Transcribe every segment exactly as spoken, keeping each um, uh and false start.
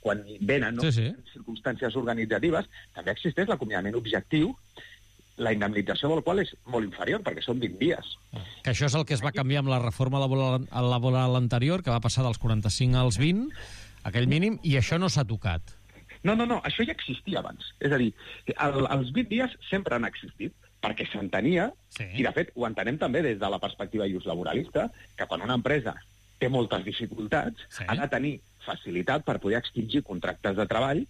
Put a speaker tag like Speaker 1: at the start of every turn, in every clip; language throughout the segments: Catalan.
Speaker 1: quan venen, no?
Speaker 2: Sí, sí.
Speaker 1: Circumstàncies organitzatives, també existeix l'acomiadament objectiu, la indemnització del qual és molt inferior, perquè són vint dies.
Speaker 2: Que això és el que es va canviar amb la reforma laboral, laboral anterior, que va passar dels quaranta-cinc als vint, aquell mínim, i això no s'ha tocat.
Speaker 1: No, no, no, això ja existia abans. És a dir, el, els vint dies sempre han existit, perquè s'entenia,
Speaker 2: sí.
Speaker 1: I de fet ho entenem també des de la perspectiva just laboralista, que quan una empresa té moltes dificultats, sí. ha de tenir facilitat per poder extingir contractes de treball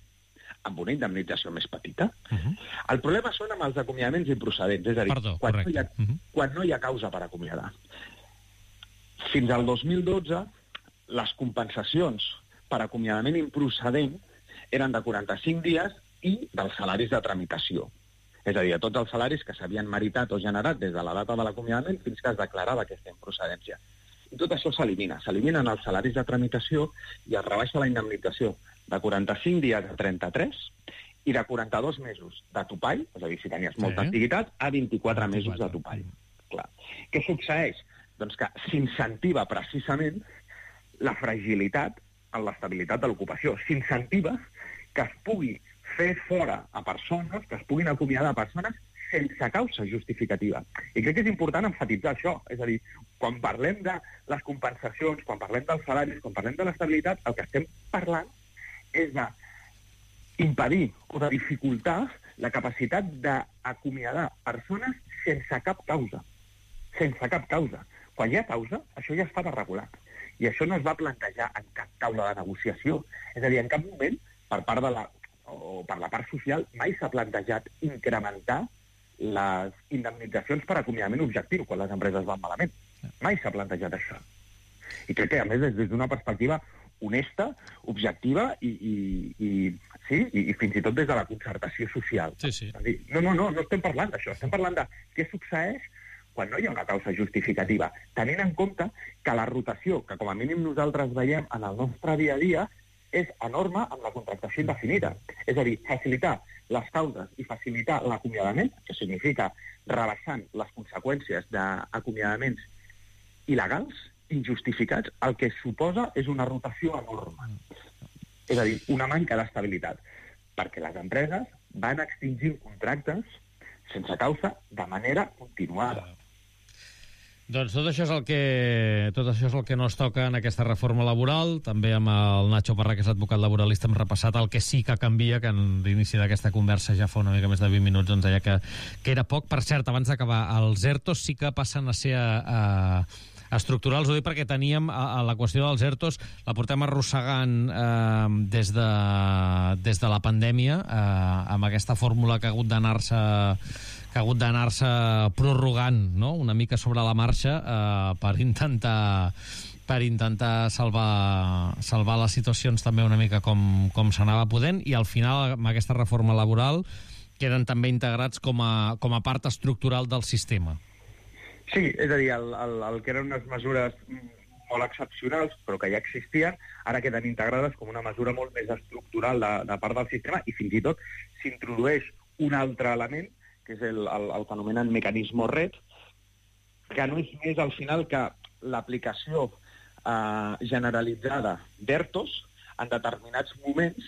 Speaker 1: amb una indemnització més petita. Uh -huh. El problema són amb els acomiadaments improcedents, és a dir,
Speaker 2: Perdó,
Speaker 1: quan, no hi ha,
Speaker 2: uh -huh.
Speaker 1: quan no hi ha causa per acomiadar. Fins al dos mil dotze, les compensacions per acomiadament improcedent eren de quaranta-cinc dies i dels salaris de tramitació. És a dir, de tots els salaris que s'havien meritat o generat des de la data de l'acomiadament fins que es declarava aquesta improcedència. I tot això s'elimina. S'eliminen els salaris de tramitació i es rebaixa la indemnització de quaranta-cinc dies a trenta-tres i de quaranta-dos mesos de topall, és a dir, si tenies molta
Speaker 2: sí.
Speaker 1: antiguitat, a vint-i-quatre mesos de topall. Clar. Què succeeix? Doncs que s'incentiva precisament la fragilitat en l'estabilitat de l'ocupació. S'incentiva que es pugui fer fora a persones, que es puguin acomiadar a persones sense causa justificativa. I crec que és important enfatitzar això. És a dir, quan parlem de les compensacions, quan parlem dels salaris, quan parlem de l'estabilitat, el que estem parlant és d'impedir o de dificultar la capacitat d'acomiadar persones sense cap causa. Sense cap causa. Quan hi ha causa, això ja està regulat. I això no es va plantejar en cap taula de negociació. És a dir, en cap moment, per part de la, o per la part social, mai s'ha plantejat incrementar les indemnitzacions per acomiadament objectiu quan les empreses van malament. Mai s'ha plantejat això. I crec que, a més, des d'una perspectiva honesta, objectiva i, i, i, sí, i, i fins i tot des de la concertació social.
Speaker 2: Sí, sí.
Speaker 1: No, no, no, no estem parlant d'això. Estem parlant de què succeeix quan no hi ha una causa justificativa, tenint en compte que la rotació, que com a mínim nosaltres veiem en el nostre dia a dia, és enorme amb la contractació indefinida. És a dir, facilitar les causes i facilitar l'acomiadament, que significa rebaixant les conseqüències d'acomiadaments il·legals, injustificats, el que suposa és una rotació enorme. És a dir, una manca d'estabilitat, perquè les empreses van extingir contractes sense causa de manera continuada.
Speaker 2: Doncs tot això és el que tot això és el que no es toca en aquesta reforma laboral. També amb el Nacho Parra, que és advocat laboralista, hem repassat el que sí que canvia, que en l'inici d'aquesta conversa ja fa una mica més de vint minuts ens deia que, que era poc. Per cert, abans d'acabar, els ERTOs sí que passen a ser a, a estructurals. Ho dic perquè teníem a, a la qüestió dels ERTOs, la portem arrossegant eh, des, de, des de la pandèmia, eh, amb aquesta fórmula que ha hagut d'anar-se que ha hagut d'anar-se prorrogant, no?, una mica sobre la marxa eh, per intentar per intentar salvar salvar les situacions també una mica com, com s'anava podent, i al final amb aquesta reforma laboral queden també integrats com a, com a part estructural del sistema.
Speaker 1: Sí, és a dir, el, el, el que eren unes mesures molt excepcionals, però que ja existien, ara queden integrades com una mesura molt més estructural de, de part del sistema, i fins i tot s'introdueix un altre element, que és el, el, el que anomenen mecanisme red, que no és més al final que l'aplicació eh, generalitzada d'ERTOs en determinats moments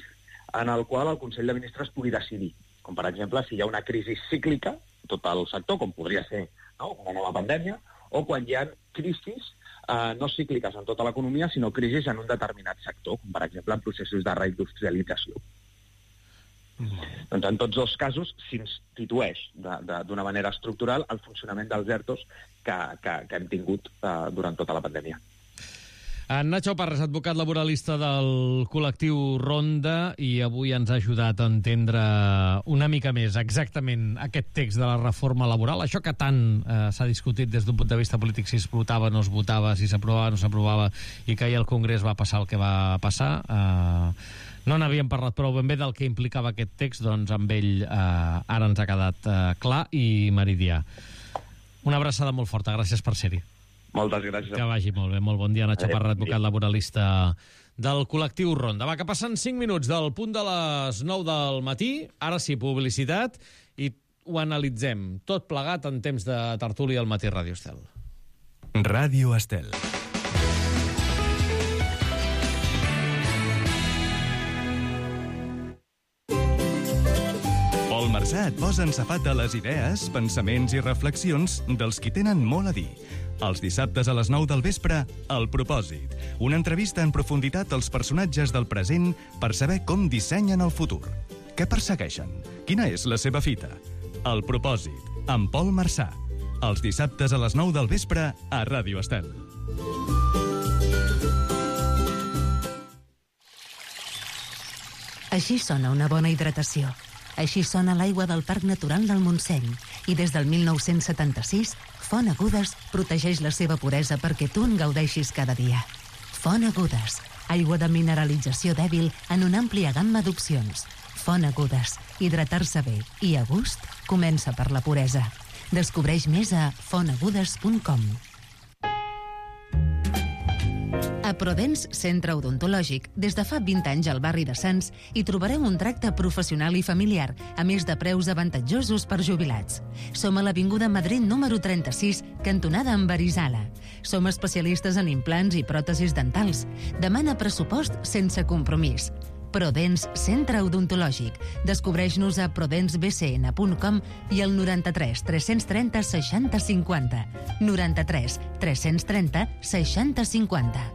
Speaker 1: en el qual el Consell de Ministres pugui decidir. Com, per exemple, si hi ha una crisi cíclica en tot el sector, com podria ser, no?, una nova pandèmia, o quan hi ha crisis eh, no cícliques en tota l'economia, sinó crisis en un determinat sector, com, per exemple, en processos de reindustrialització. Mm. Doncs en tots dos casos s'institueix d'una manera estructural el funcionament dels ERTOs que, que, que hem tingut uh, durant tota la pandèmia.
Speaker 2: En Nacho Parra, advocat laboralista del col·lectiu Ronda, i avui ens ha ajudat a entendre una mica més exactament aquest text de la reforma laboral, això que tant eh, s'ha discutit des d'un punt de vista polític, si es votava, no es votava, si s'aprovava, no s'aprovava, i que ahir al Congrés va passar el que va passar. Eh, no n'havíem parlat prou ben bé del que implicava aquest text, doncs amb ell eh, ara ens ha quedat eh, clar i meridià. Una abraçada molt forta, gràcies per ser-hi.
Speaker 1: Moltes gràcies.
Speaker 2: Que vagi molt bé, molt bon dia. Nacho Parra, advocat laboralista del col·lectiu Ronda. Va, que passen cinc minuts del punt de les nou del matí, ara sí, publicitat, i ho analitzem tot plegat en temps de tertúlia al Matí Ràdio Estel.
Speaker 3: Ràdio Estel. Esmorzar et posa en safata les idees, pensaments i reflexions dels qui tenen molt a dir. Els dissabtes a les nou del vespre, El Propòsit. Una entrevista en profunditat als personatges del present per saber com dissenyen el futur. Què persegueixen? Quina és la seva fita? El Propòsit, amb Pol Marçà. Els dissabtes a les nou del vespre a Ràdio Estel.
Speaker 4: Així sona una bona hidratació. Així sona l'aigua del Parc Natural del Montseny. I des del mil nou-cents setanta-sis, Font Agudes protegeix la seva puresa perquè tu en gaudeixis cada dia. Font Agudes, aigua de mineralització dèbil en una àmplia gamma d'opcions. Font Agudes, hidratar-se bé i a gust comença per la puresa. Descobreix més a font agudes punt com. A Prodens Centre Odontològic, des de fa vint anys al barri de Sants, hi trobareu un tracte professional i familiar, a més de preus avantatjosos per jubilats. Som a l'Avinguda Madrid número trenta-sis, cantonada amb Arizala. Som especialistes en implants i pròtesis dentals. Demana pressupost sense compromís. Prodens Centre Odontològic. Descobreix-nos a prodens b c n punt com i al noranta-tres tres-cents trenta seixanta cinquanta. noranta-tres tres-cents trenta seixanta cinquanta.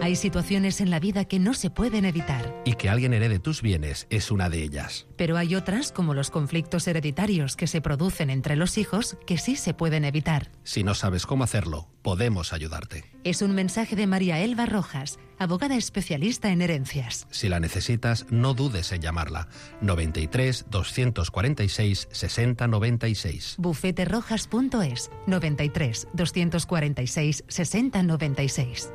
Speaker 4: Hay situaciones en la vida que no se pueden evitar.
Speaker 5: Y que alguien herede tus bienes es una de ellas.
Speaker 4: Pero hay otras, como los conflictos hereditarios que se producen entre los hijos, que sí se pueden evitar.
Speaker 5: Si no sabes cómo hacerlo, podemos ayudarte.
Speaker 4: Es un mensaje de María Elba Rojas, abogada especialista en herencias.
Speaker 5: Si la necesitas, no dudes en llamarla. noventa y tres, doscientos cuarenta y seis, sesenta noventa y seis.
Speaker 4: bufete rojas punto es, noventa y tres, doscientos cuarenta y seis, sesenta noventa y seis.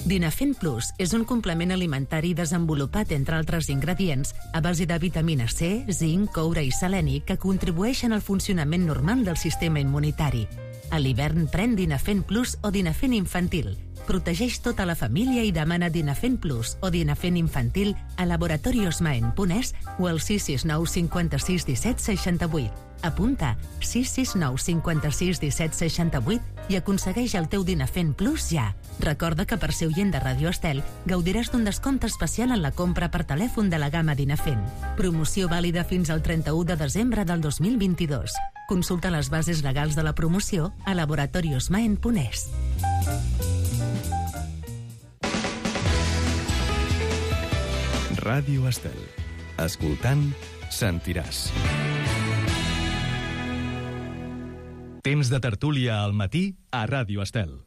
Speaker 4: Dinafen Plus és un complement alimentari desenvolupat, entre altres ingredients, a base de vitamina C, zinc, coure i seleni que contribueixen al funcionament normal del sistema immunitari. A l'hivern pren Dinafen Plus o Dinafen Infantil. Protegeix tota la família i demana Dinafen Plus o Dinafen Infantil a laboratoriosmaen punt es o al sis sis nou cinquanta-sis disset seixanta-vuit. Apunta sis sis nou cinquanta-sis disset seixanta-vuit i aconsegueix el teu Dinafen Plus ja. Recorda que per ser oient de Ràdio Estel gaudiràs d'un descompte especial en la compra per telèfon de la gamma Dinafen. Promoció vàlida fins al trenta-u de desembre del dos mil vint-i-dos. Consulta les bases legals de la promoció a laboratoriosmaen punt es.
Speaker 3: Ràdio Estel. Escoltant, sentiràs. Temps de tertúlia al matí a Ràdio Estel.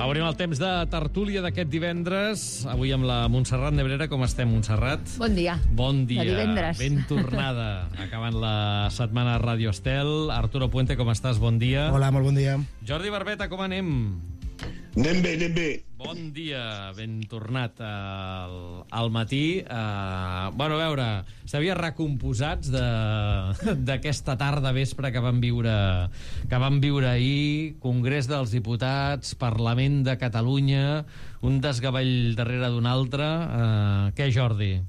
Speaker 2: Obrim el temps de tertúlia d'aquest divendres. Avui amb la Montserrat Nebrera. Com estem, Montserrat?
Speaker 6: Bon dia.
Speaker 2: Bon dia.
Speaker 6: De divendres.
Speaker 2: Ben tornada. Acabant la setmana a Ràdio Estel. Arturo Puente, com estàs? Bon dia.
Speaker 7: Hola, molt bon dia.
Speaker 2: Jordi Barbeta, com anem?
Speaker 8: Anem bé, anem bé.
Speaker 2: Bon dia, ben tornat al, al matí. Uh, bueno, a veure, s'havia recomposats d'aquesta tarda vespre que vam viure que vam viure ahir, Congrés dels Diputats, Parlament de Catalunya, un desgavell darrere d'un altre. Uh, què, Jordi?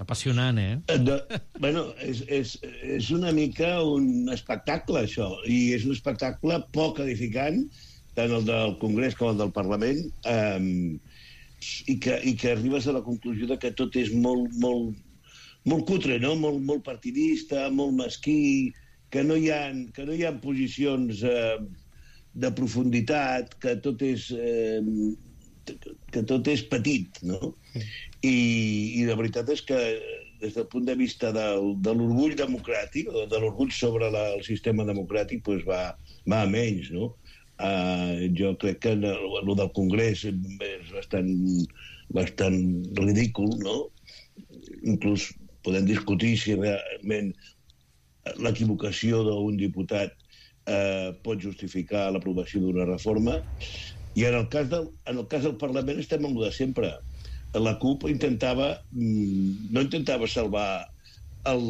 Speaker 2: Apassionant, eh?
Speaker 8: De, bueno, és, és, és una mica un espectacle, això, i és un espectacle poc edificant, tant el del Congrés com el del Parlament, eh, i, que, i que arribes a la conclusió de que tot és molt, molt, molt cutre, no? molt, molt partidista, molt mesquí, que no hi ha, que no hi ha posicions eh, de profunditat, que tot és, eh, que tot és petit, no? I, i la veritat és que des del punt de vista del, de l'orgull democràtic, de l'orgull sobre la, el sistema democràtic, doncs va, va a menys, no? Uh, jo crec que el del Congrés és bastant, bastant ridícul, no? Inclús podem discutir si realment l'equivocació d'un diputat uh, pot justificar l'aprovació d'una reforma. I en el cas del, en el cas del Parlament estem amb el de sempre. La CUP intentava, no intentava salvar el,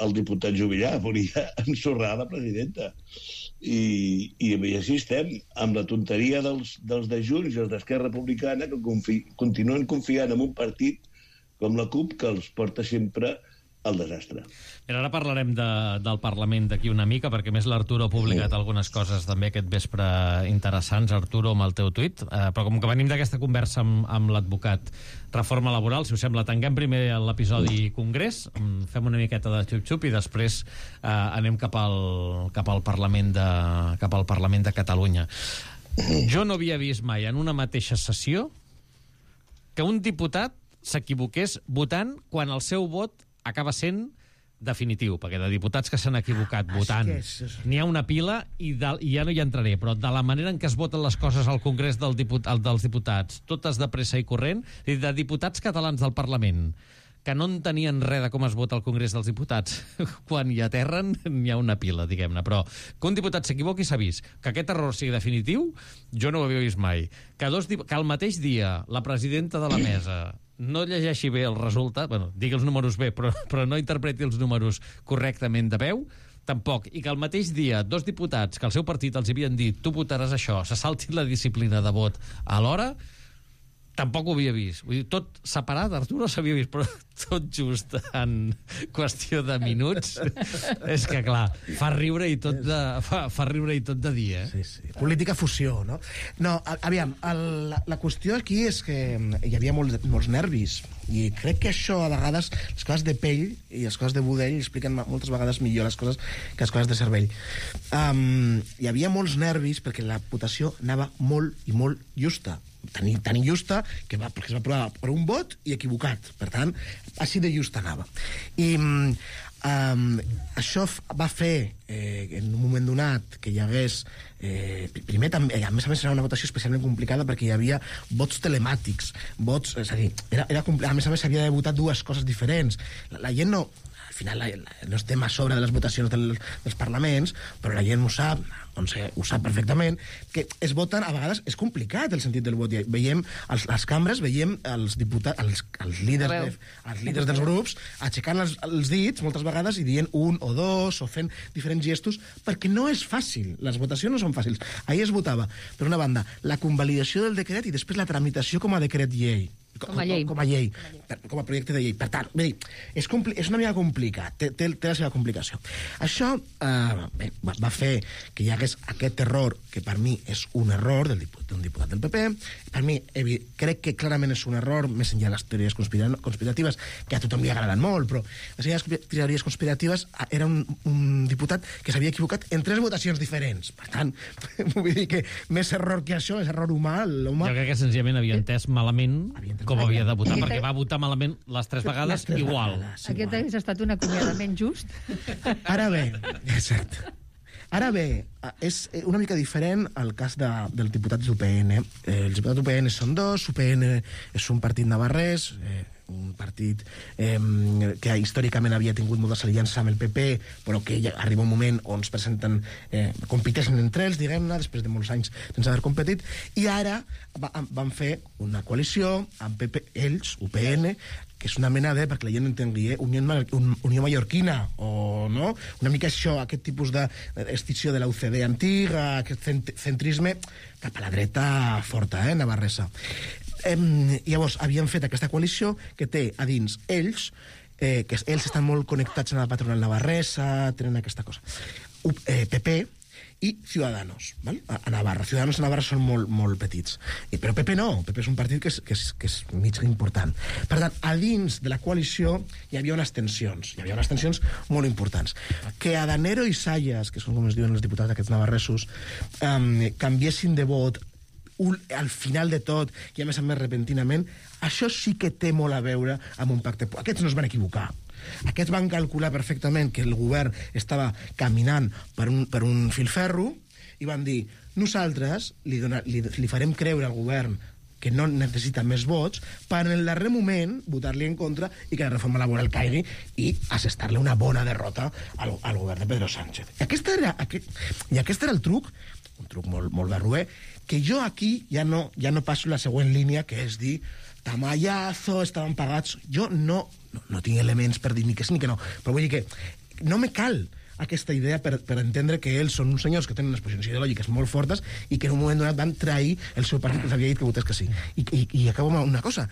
Speaker 8: el diputat Juvillà volia ensorrar la presidenta. I, i així estem, amb la tonteria dels, dels de Junts i els d'Esquerra Republicana, que confi, continuen confiant en un partit com la CUP, que els porta sempre al desastre.
Speaker 2: Mira, ara parlarem de, del Parlament d'aquí una mica, perquè més l'Arturo ha publicat sí. algunes coses també aquest vespre interessants, Arturo, amb el teu tuit, eh, però com que venim d'aquesta conversa amb, amb l'advocat Reforma Laboral, si us sembla, tanquem primer l'episodi Congrés, fem una miqueta de xup-xup i després eh, anem cap al, cap al Parlament de, cap al Parlament de Catalunya. Jo no havia vist mai en una mateixa sessió que un diputat s'equivoqués votant quan el seu vot acaba sent definitiu, perquè de diputats que s'han equivocat votant n'hi ha una pila i, de, i ja no hi entraré, però de la manera en què es voten les coses al Congrés del diput, dels diputats, totes de pressa i corrent, de diputats catalans del Parlament que no entenien res de com es vota al Congrés dels Diputats, quan hi aterren n'hi ha una pila, diguem-ne. Però que un diputat s'equivoqui s'ha vist. Que aquest error sigui definitiu, jo no ho havia vist mai. Que, dos, que al mateix dia la presidenta de la mesa no llegeixi bé el resultat, bueno, digui els números bé, però, però no interpreti els números correctament de veu, tampoc. I que al mateix dia dos diputats que el seu partit els havien dit tu votaràs això, se saltin la disciplina de vot a l'hora, tampoc ho havia vist. Vull dir, tot separat, Arturo s'havia vist, però tot just en qüestió de minuts. És que, clar, fa riure i tot de, fa, fa riure i tot de dia. Eh?
Speaker 6: Sí, sí. Política fusió, no? No, aviam, el, la, la qüestió aquí és que hi havia molts, molts nervis, i crec que això, a vegades, les coses de pell i les coses de budell expliquen moltes vegades millor les coses que les coses de cervell. Um, hi havia molts nervis perquè la votació anava molt i molt justa. Tan, tan injusta que va, perquè es va aprovar per un vot i equivocat. Per tant, així de just anava. I um, això va fer, eh, en un moment donat, que hi hagués... Eh, primer, també, a més a més, era una votació especialment complicada perquè hi havia vots telemàtics, vots... És a dir, era, era, a més a més, s'havia de votar dues coses diferents. La, la gent no... Al final la, la, no estem a sobre de les votacions del, dels parlaments, però la gent ho sap, doncs, ho sap perfectament, que es voten, a vegades és complicat el sentit del vot. Veiem, als, les cambres, veiem els diputats, els, els, líders, de, els líders dels grups aixecant els, els dits moltes vegades i dient un o dos o fent diferents gestos, perquè no és fàcil, les votacions no són fàcils. Ahir es votava, per una banda, la convalidació del decret i després la tramitació com a decret llei.
Speaker 7: Com a llei.
Speaker 6: Com a llei, per, com a projecte de llei. Per tant, bé, és, és una mica complicat, té, té, té la seva complicació. Això eh, bé, va, va fer que hi hagués aquest error, que per mi és un error d'un diputat, diputat del P P. Per mi, evi, crec que clarament és un error, més enllà de les teories conspiratives, que a tothom li agraden molt, però les teories conspiratives era un, un diputat que s'havia equivocat en tres votacions diferents. Per tant, vull dir que més error que això, és error humà.
Speaker 2: Jo crec que senzillament havia entès malament com havia de votar, perquè va votar malament les tres vegades les tres igual.
Speaker 7: Vegades, Aquest igual. Hagués estat un acomiadament just.
Speaker 6: Ara bé, exacte. Ara bé, és una mica diferent el cas de, dels diputats d'U P N. Eh, els diputats d'U P N són dos, U P N és un partit navarrès, eh, un partit eh, que històricament havia tingut molta aliança amb el P P, però que ja arriba un moment on es presenten, eh, competeixen entre ells, diguem-ne, després de molts anys sense haver competit, i ara va, van fer una coalició amb P P, ells, U P N, que és una mena de, perquè la gent entengui, eh, Unió, un, Unió Mallorquina, o no? Una mica això, aquest tipus d'extinció de la U C D antiga, aquest centrisme cap a la dreta forta, eh, navarresa. Eh, llavors, havien fet aquesta coalició que té a dins ells, eh, que ells estan molt connectats amb la patronal navarresa, tenen aquesta cosa. U, eh, P P i Ciudadanos, val? A, a Navarra. Ciudadanos a Navarra són molt, molt petits. I, però P P no, P P és un partit que és, que, és, que és mig important. Per tant, a dins de la coalició hi havia unes tensions, hi havia unes tensions molt importants. Que Adanero i Sayas, que són com es diuen els diputats d'aquests navarresos, eh, canviessin de vot un, al final de tot, i a més a més repentinament, això sí que té molt a veure amb un pacte. Aquests no es van equivocar. Aquests van calcular perfectament que el govern estava caminant per un, per un filferro i van dir, nosaltres li, dona, li, li farem creure al govern que no necessita més vots, per en el darrer moment votar-li en contra i que la reforma laboral caigui i assestar-li una bona derrota al, al govern de Pedro Sánchez. I aquest era, aquest, i aquest era el truc, un truc molt, molt barruer, que jo aquí ja no, ja no passo la següent línia, que és dir tamallazo, estaven pagats. Jo no, no, no tinc elements per dir ni que sí ni que no, però vull dir que no me cal aquesta idea per, per entendre que ells són uns senyors que tenen unes posicions ideològiques molt fortes i que en un moment donat van trair el seu partit que els havia dit que votés que sí. I, i, i acabo amb una cosa,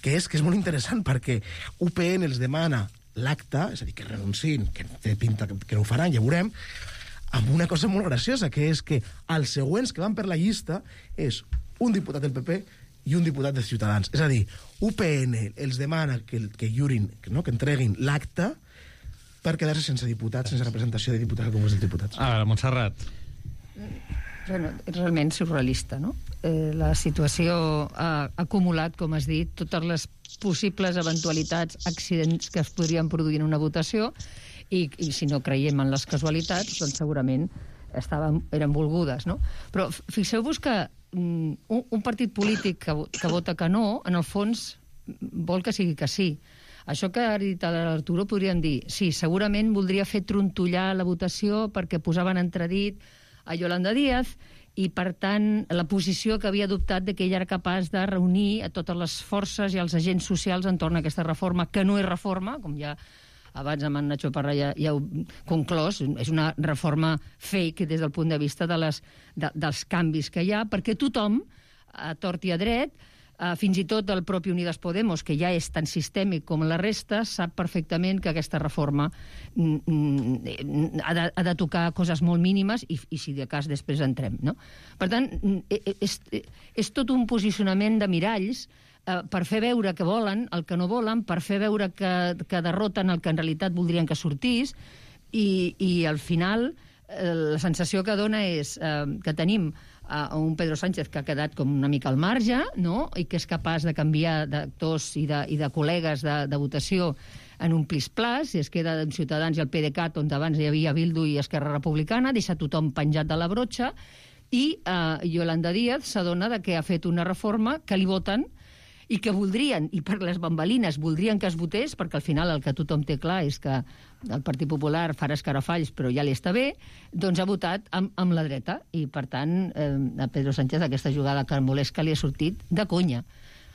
Speaker 6: que és que és molt interessant perquè U P N els demana l'acte, és a dir, que renunciïn, que té pinta que, que no ho faran, ja veurem, amb una cosa molt graciosa, que és que els següents que van per la llista és un diputat del P P i un diputat de Ciutadans. És a dir, U P N els demana que, que lliurin, que, no, que entreguin l'acte per quedar-se sense diputats, sense representació de diputats al Congrés dels Diputats.
Speaker 2: A veure, Montserrat.
Speaker 7: Bueno, és realment surrealista, no? Eh, la situació ha acumulat, com has dit, totes les possibles eventualitats, accidents que es podrien produir en una votació i, i si no creiem en les casualitats, doncs segurament estaven, eren volgudes, no? Però fixeu-vos que um, un, un partit polític que, que vota que no, en el fons vol que sigui que sí. Això que ha dit l'Arturo podríem dir, sí, segurament voldria fer trontollar la votació perquè posaven entredit a Yolanda Díaz i, per tant, la posició que havia adoptat de que ella era capaç de reunir a totes les forces i els agents socials entorn a aquesta reforma, que no és reforma, com ja abans amb en Nacho Parra ja, ja heu conclòs, és una reforma fake des del punt de vista de les, de, dels canvis que hi ha, perquè tothom, a tort i a dret, Uh, fins i tot el propi Unidas Podemos, que ja és tan sistèmic com la resta, sap perfectament que aquesta reforma mm, mm, ha, de, ha de tocar coses molt mínimes i, i si de cas després entrem, no? Per tant, és, és tot un posicionament de miralls uh, per fer veure que volen el que no volen, per fer veure que, que derroten el que en realitat voldrien que sortís i, i al final uh, la sensació que dona és uh, que tenim a un Pedro Sánchez que ha quedat com una mica al marge, no? I que és capaç de canviar d'actors i de, i de col·legues de, de votació en un plis-plas, i es queda en Ciutadans i el PDeCAT, on abans hi havia Bildu i Esquerra Republicana, deixa tothom penjat de la brotxa, i eh, Yolanda Díaz s'adona de que ha fet una reforma que li voten i que voldrien, i per les bambalines voldrien que es votés, perquè al final el que tothom té clar és que el Partit Popular farà escarafalls però ja li està bé, doncs ha votat amb, amb la dreta, i per tant eh, a Pedro Sánchez aquesta jugada carmolesca li ha sortit de conya.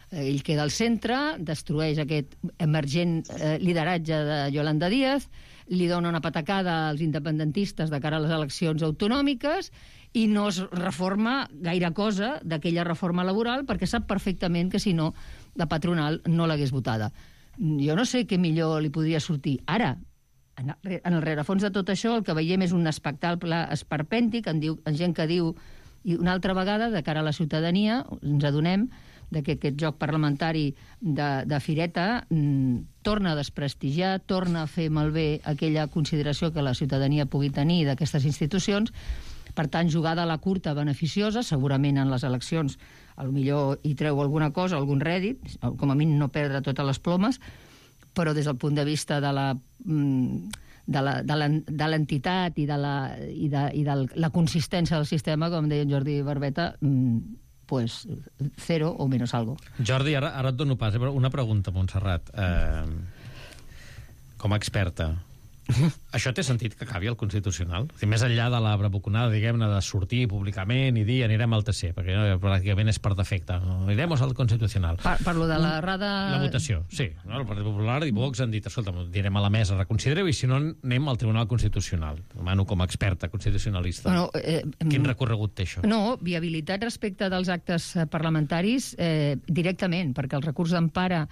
Speaker 7: Eh, ell queda al centre, destrueix aquest emergent eh, lideratge de Yolanda Díaz, li dona una patacada als independentistes de cara a les eleccions autonòmiques i no es reforma gaire cosa d'aquella reforma laboral perquè sap perfectament que si no la patronal no l'hagués votada. Jo no sé què millor li podria sortir. Ara, en el rerefons de tot això, el que veiem és un espectacle esperpèntic, en, diu, en gent que diu, i una altra vegada, de cara a la ciutadania, ens adonem de que aquest joc parlamentari de, de fireta mm, torna a desprestigiar, torna a fer malbé aquella consideració que la ciutadania pugui tenir d'aquestes institucions. Per tant, jugada a la curta beneficiosa, segurament en les eleccions potser hi treu alguna cosa, algun rèdit, com a mínim no perdre totes les plomes, però des del punt de vista de la de la, de l'entitat i de la, i de, i de la consistència del sistema, com deia en Jordi Barbeta, pues cero o menos algo.
Speaker 2: Jordi, ara, ara et dono pas. Una pregunta, Montserrat. Eh, com a experta, això té sentit que acabi el Constitucional? O sigui, més enllà de la bravuconada, diguem-ne, de sortir públicament i dir anirem al T C, perquè no, pràcticament és per defecte. Anirem al Constitucional.
Speaker 7: Per, parlo de la rada...
Speaker 2: La votació, sí. No? El Partit Popular i Vox han dit, escolta, direm a la mesa, reconsidereu, i si no anem al Tribunal Constitucional. Demano com a experta constitucionalista.
Speaker 7: Bueno, eh,
Speaker 2: Quin recorregut té això?
Speaker 7: No, viabilitat respecte dels actes parlamentaris eh, directament, perquè el recurs d'empara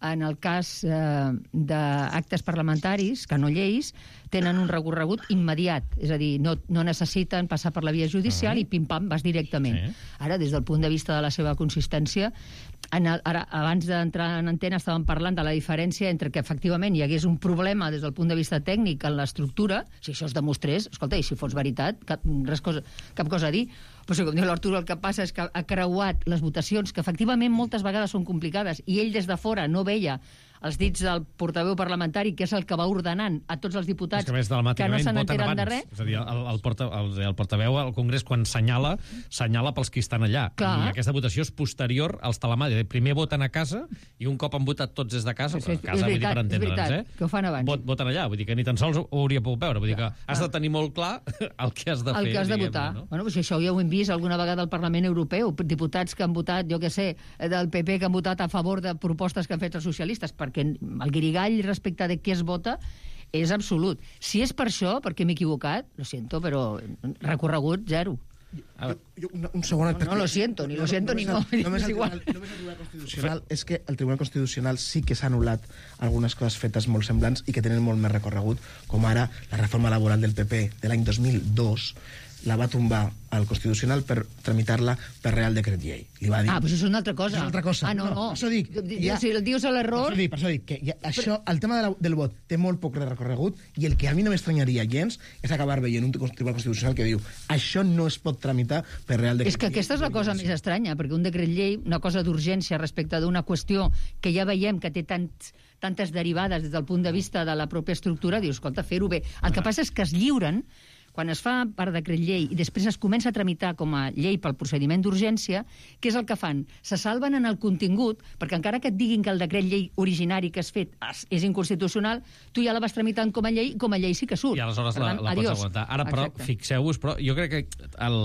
Speaker 7: en el cas eh, d'actes parlamentaris, que no lleis, tenen un recorregut immediat. És a dir, no, no necessiten passar per la via judicial uh-huh. i pim-pam, vas directament. Sí. Ara, des del punt de vista de la seva consistència, en el, ara, abans d'entrar en antena estàvem parlant de la diferència entre que efectivament hi hagués un problema des del punt de vista tècnic en l'estructura, si això es demostrés, escolta, i si fos veritat, cap, res cosa, cap cosa a dir, però si, com diu l'Arturo, el que passa és que ha creuat les votacions, que efectivament moltes vegades són complicades, i ell des de fora no veia els dits del portaveu parlamentari, que és el que va ordenant a tots els diputats
Speaker 2: que, més,
Speaker 7: que no se n'enteren de res.
Speaker 2: És a dir, el, el, porta, el, el portaveu al Congrés, quan senyala, senyala pels que estan allà.
Speaker 7: Clar.
Speaker 2: I aquesta votació és posterior als telemàtics. Primer voten a casa, i un cop han votat tots des de casa,
Speaker 7: Sí, sí,
Speaker 2: a casa,
Speaker 7: és
Speaker 2: vull dir,
Speaker 7: veritat,
Speaker 2: per
Speaker 7: és
Speaker 2: entendre'ns,
Speaker 7: veritat,
Speaker 2: eh?
Speaker 7: que ho fan abans.
Speaker 2: Vot, voten allà, vull dir que ni tan sols ho hauria pogut veure. Vull dir que has de tenir molt clar el que has de fer.
Speaker 7: El que has de votar.
Speaker 2: No?
Speaker 7: Bueno, pues això ja ho hem vist alguna vegada al Parlament Europeu, diputats que han votat, jo què sé, del P P que han votat a favor de propostes que han fet els socialistes, perquè el guirigall respecte de què es vota és absolut. Si és per això, perquè m'he equivocat, lo siento, però recorregut zero.
Speaker 6: Jo, jo, un, un segon...
Speaker 7: No, no lo siento, ni lo siento, ni no.
Speaker 6: Només
Speaker 7: és
Speaker 6: el,
Speaker 7: igual.
Speaker 6: Tribunal, només el Tribunal Constitucional és que el Tribunal Constitucional sí que s'ha anul·lat algunes coses fetes molt semblants i que tenen molt més recorregut, com ara la reforma laboral del P P de l'any dos mil dos, la va tombar al Constitucional per tramitar-la per Real Decret Llei. Li va dir...
Speaker 7: Ah, doncs és una altra cosa.
Speaker 6: És una altra cosa.
Speaker 7: Ah, no, no.
Speaker 6: Per això dic...
Speaker 7: Ja, si el dius a l'error...
Speaker 6: Per això dic, per això dic que ja, això, el tema de la, del vot té molt poc recorregut i el que a mi no m'estranyaria gens és acabar veient un Tribunal Constitucional que diu això no es pot tramitar per Real Decret Llei.
Speaker 7: És que aquesta és la cosa més estranya, perquè un decret llei, una cosa d'urgència respecte d'una qüestió que ja veiem que té tants, tantes derivades des del punt de vista de la pròpia estructura, dius, escolta, fer-ho bé. El que passa és que es lliuren, quan es fa per decret llei i després es comença a tramitar com a llei pel procediment d'urgència, què és el que fan? Se salven en el contingut, perquè encara que et diguin que el decret llei originari que has fet és inconstitucional, tu ja la vas tramitant com a llei, com a llei sí que surt.
Speaker 2: I aleshores
Speaker 7: per
Speaker 2: la,
Speaker 7: tant,
Speaker 2: la pots
Speaker 7: adiós.
Speaker 2: aguantar. Ara, però,
Speaker 7: Exacte.
Speaker 2: fixeu-vos, però jo crec que el,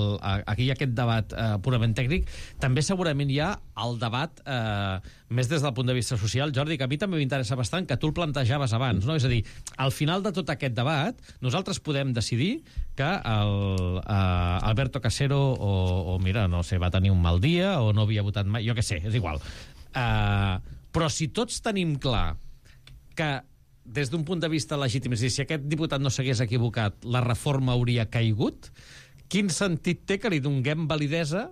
Speaker 2: aquí hi ha aquest debat eh, purament tècnic. També segurament hi ha el debat eh, més des del punt de vista social. Jordi, que a mi també m'interessa bastant, que tu el plantejaves abans, no? És a dir, al final de tot aquest debat, nosaltres podem decidir que el, uh, Alberto Casero o, o, mira, no sé, va tenir un mal dia o no havia votat mai, jo què sé, és igual. Uh, però si tots tenim clar que des d'un punt de vista legítim, és a dir, si aquest diputat no s'hagués equivocat, la reforma hauria caigut, quin sentit té que li donguem validesa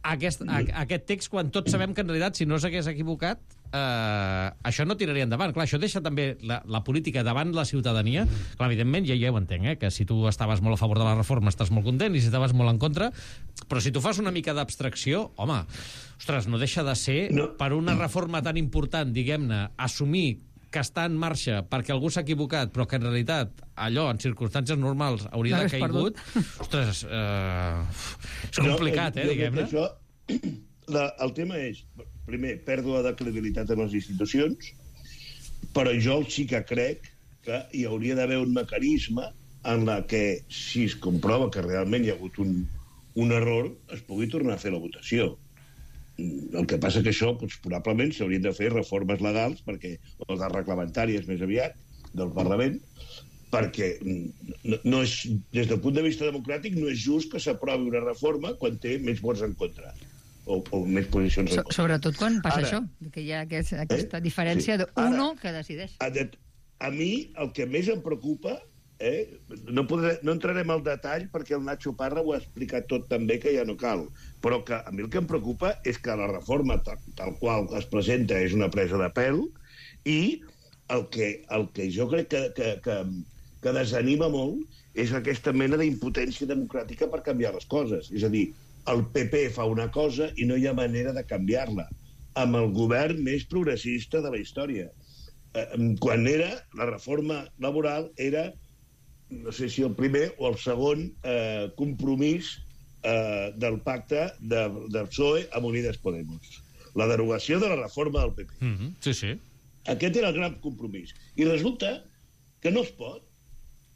Speaker 2: a aquest, a, a aquest text quan tots sabem que en realitat si no s'hagués equivocat eh, això no tiraria endavant. Clar, això deixa també la, la política davant la ciutadania. Clar, evidentment, ja, ja ho entenc, eh, que si tu estaves molt a favor de la reforma estàs molt content i si estaves molt en contra, però si tu fas una mica d'abstracció, home, ostres, no deixa de ser no. per una reforma tan important, diguem-ne, assumir que està en marxa perquè algú s'ha equivocat, però que en realitat allò, en circumstàncies normals, hauria de caigut. Ostres, eh, és complicat, eh, diguem-ne.
Speaker 8: Això, la, el tema és, primer, pèrdua de credibilitat en les institucions, però jo sí que crec que hi hauria d'haver un mecanisme en la que, si es comprova que realment hi ha hagut un, un error, es pugui tornar a fer la votació. El que passa que això, doncs, probablement s'haurien de fer reformes legals, perquè, o de reglamentàries més aviat, del Parlament, perquè no, no és, des del punt de vista democràtic no és just que s'aprovi una reforma quan té més vots en contra, o, o més posicions en
Speaker 7: so,
Speaker 8: contra.
Speaker 7: Sobretot quan passa
Speaker 8: Ara,
Speaker 7: això, que hi ha aquest, aquesta eh? diferència
Speaker 8: sí.
Speaker 7: d'uno que decideix.
Speaker 8: A, a mi el que més em preocupa, eh, no, podré, no entrarem al detall perquè el Nacho Parra ho ha explicat tot també, que ja no cal, però que a mi el que em preocupa és que la reforma tal, tal qual es presenta és una presa de pèl i el que, el que jo crec que, que, que, que desanima molt és aquesta mena d'impotència democràtica per canviar les coses. És a dir, el P P fa una cosa i no hi ha manera de canviar-la, amb el govern més progressista de la història. Eh, quan era la reforma laboral era, no sé si el primer o el segon eh, compromís eh, del pacte de, del P S O E amb Unides Podemos. La derogació de la reforma del P P.
Speaker 2: Mm-hmm. Sí, sí.
Speaker 8: Aquest era el gran compromís. I resulta que no es pot,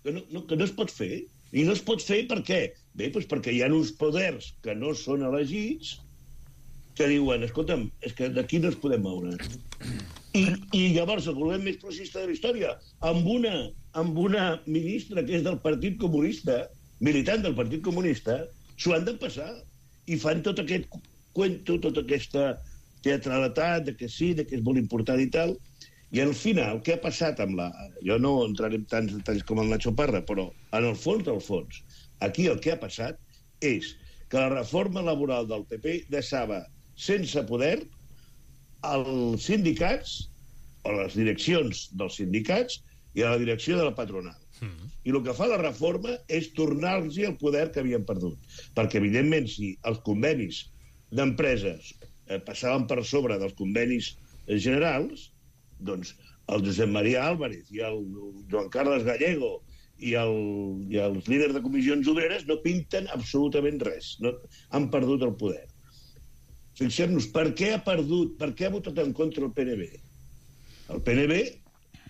Speaker 8: que no, no, que no es pot fer. I no es pot fer per què? Bé, doncs perquè hi ha uns poders que no són elegits que diuen, escolta'm, és que d'aquí no es podem moure. I, i llavors el govern més progressista de la història, amb una, amb una ministra que és del Partit Comunista, militant del Partit Comunista, s'ho han de passar. I fan tot aquest cuento, tota aquesta teatralitat, de que sí, de que és molt important i tal. I al final, què ha passat amb la... Jo no entraré en tants detalls com el Nacho Parra, però en el fons del fons, aquí el que ha passat és que la reforma laboral del P P deixava sense poder als sindicats, o a les direccions dels sindicats i a la direcció de la patronal. Mm. I el que fa la reforma és tornar-los el poder que havien perdut. Perquè, evidentment, si els convenis d'empreses eh, passaven per sobre dels convenis generals, doncs el Josep Maria Álvarez i el Joan Carles Gallego i, el, i els líders de comissions obreres no pinten absolutament res. No, han perdut el poder. Fixem-nos, per què ha perdut, per què ha votat en contra el P N B? El P N B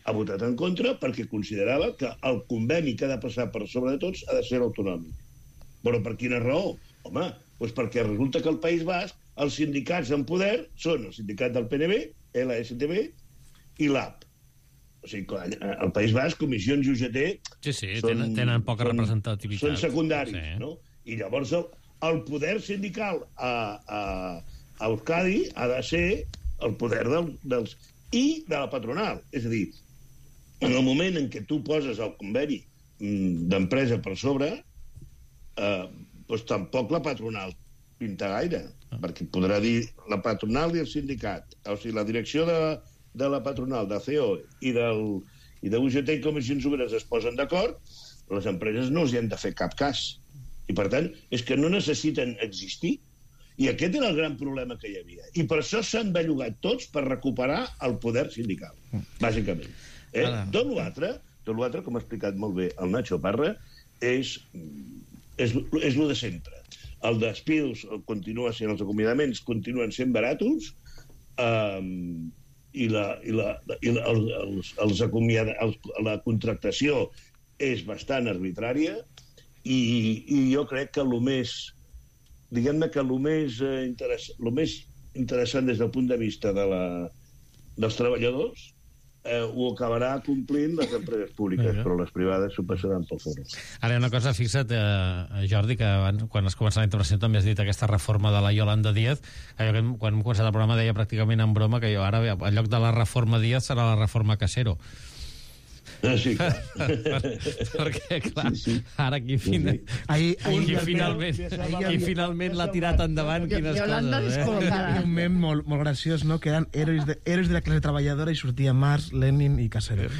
Speaker 8: ha votat en contra perquè considerava que el conveni que ha de passar per sobre de tots ha de ser autonòmic. Però per quina raó? Home, doncs perquè resulta que al País Basc els sindicats en poder són el sindicat del P N B, L S T B i l'A P. O sigui, al País Basc, comissions i U G T
Speaker 2: sí, sí, són, tenen, tenen poca
Speaker 8: són,
Speaker 2: representativitat.
Speaker 8: Són secundaris,
Speaker 2: sí.
Speaker 8: No? I llavors el, el poder sindical a, a, a Euskadi ha de ser el poder del, dels... i de la patronal. És a dir, en el moment en què tu poses el conveni d'empresa per sobre, eh, doncs tampoc la patronal pinta gaire, ah. perquè podrà dir la patronal i el sindicat, o sigui, la direcció de, de la patronal, de C E O i, del, i de U G T i Comissions Obreres es posen d'acord, les empreses no els hi han de fer cap cas. I, per tant, és que no necessiten existir. I aquest era el gran problema que hi havia. I per això s'han bellugat tots per recuperar el poder sindical, bàsicament. Eh? Tot l'altre, tot l'altre, com ha explicat molt bé el Nacho Parra, és, és, és el de sempre. El despidos continua sent, els acomiadaments continuen sent baratos, um, i, la, i, la, i la, els, els acomiada, els, la contractació és bastant arbitrària, i, i jo crec que el més... diguem-ne que el més, eh, interess el més interessant des del punt de vista de la, dels treballadors eh, ho acabarà complint les empreses públiques, uh-huh. però les privades s'ho passaran pel forro.
Speaker 2: Ara, una cosa, fixa't, eh, Jordi, que abans, quan has començat la intervenció també has dit aquesta reforma de la Yolanda Díaz, que jo, quan hem començat el programa deia pràcticament en broma que jo ara, en lloc de la reforma Díaz, serà la reforma Casero.
Speaker 8: Sí, clar.
Speaker 2: per, perquè, clar, sí, sí. Ara aquí, fina, sí, sí. Ahí, ahí, qui finalment, qui finalment l'ha tirat endavant, quines coses, eh?
Speaker 6: Hi ha un mem molt, molt graciós, no?, que eren héroes de, héroes de la classe treballadora i sortia Marx, Lenin i Casero.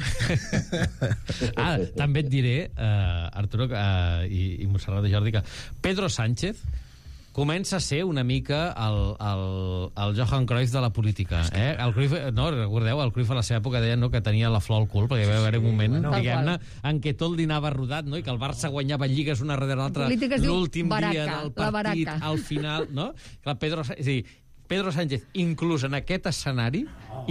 Speaker 2: Ah, també et diré, uh, Arturo uh, i, i Montserrat de Jordi, que Pedro Sánchez comença a ser una mica el, el, el Johan Cruyff de la política. Eh? El Cruyff, no, recordeu, el Cruyff a la seva època deia, no, que tenia la flor al cul, perquè hi va haver un moment, bueno, diguem-ne, en què tot li anava rodat, no? I que el Barça guanyava lligues una darrere l'altra l'últim dia del partit, al final, no? Clar, Pedro, és a dir, Pedro Sánchez, inclús en aquest escenari,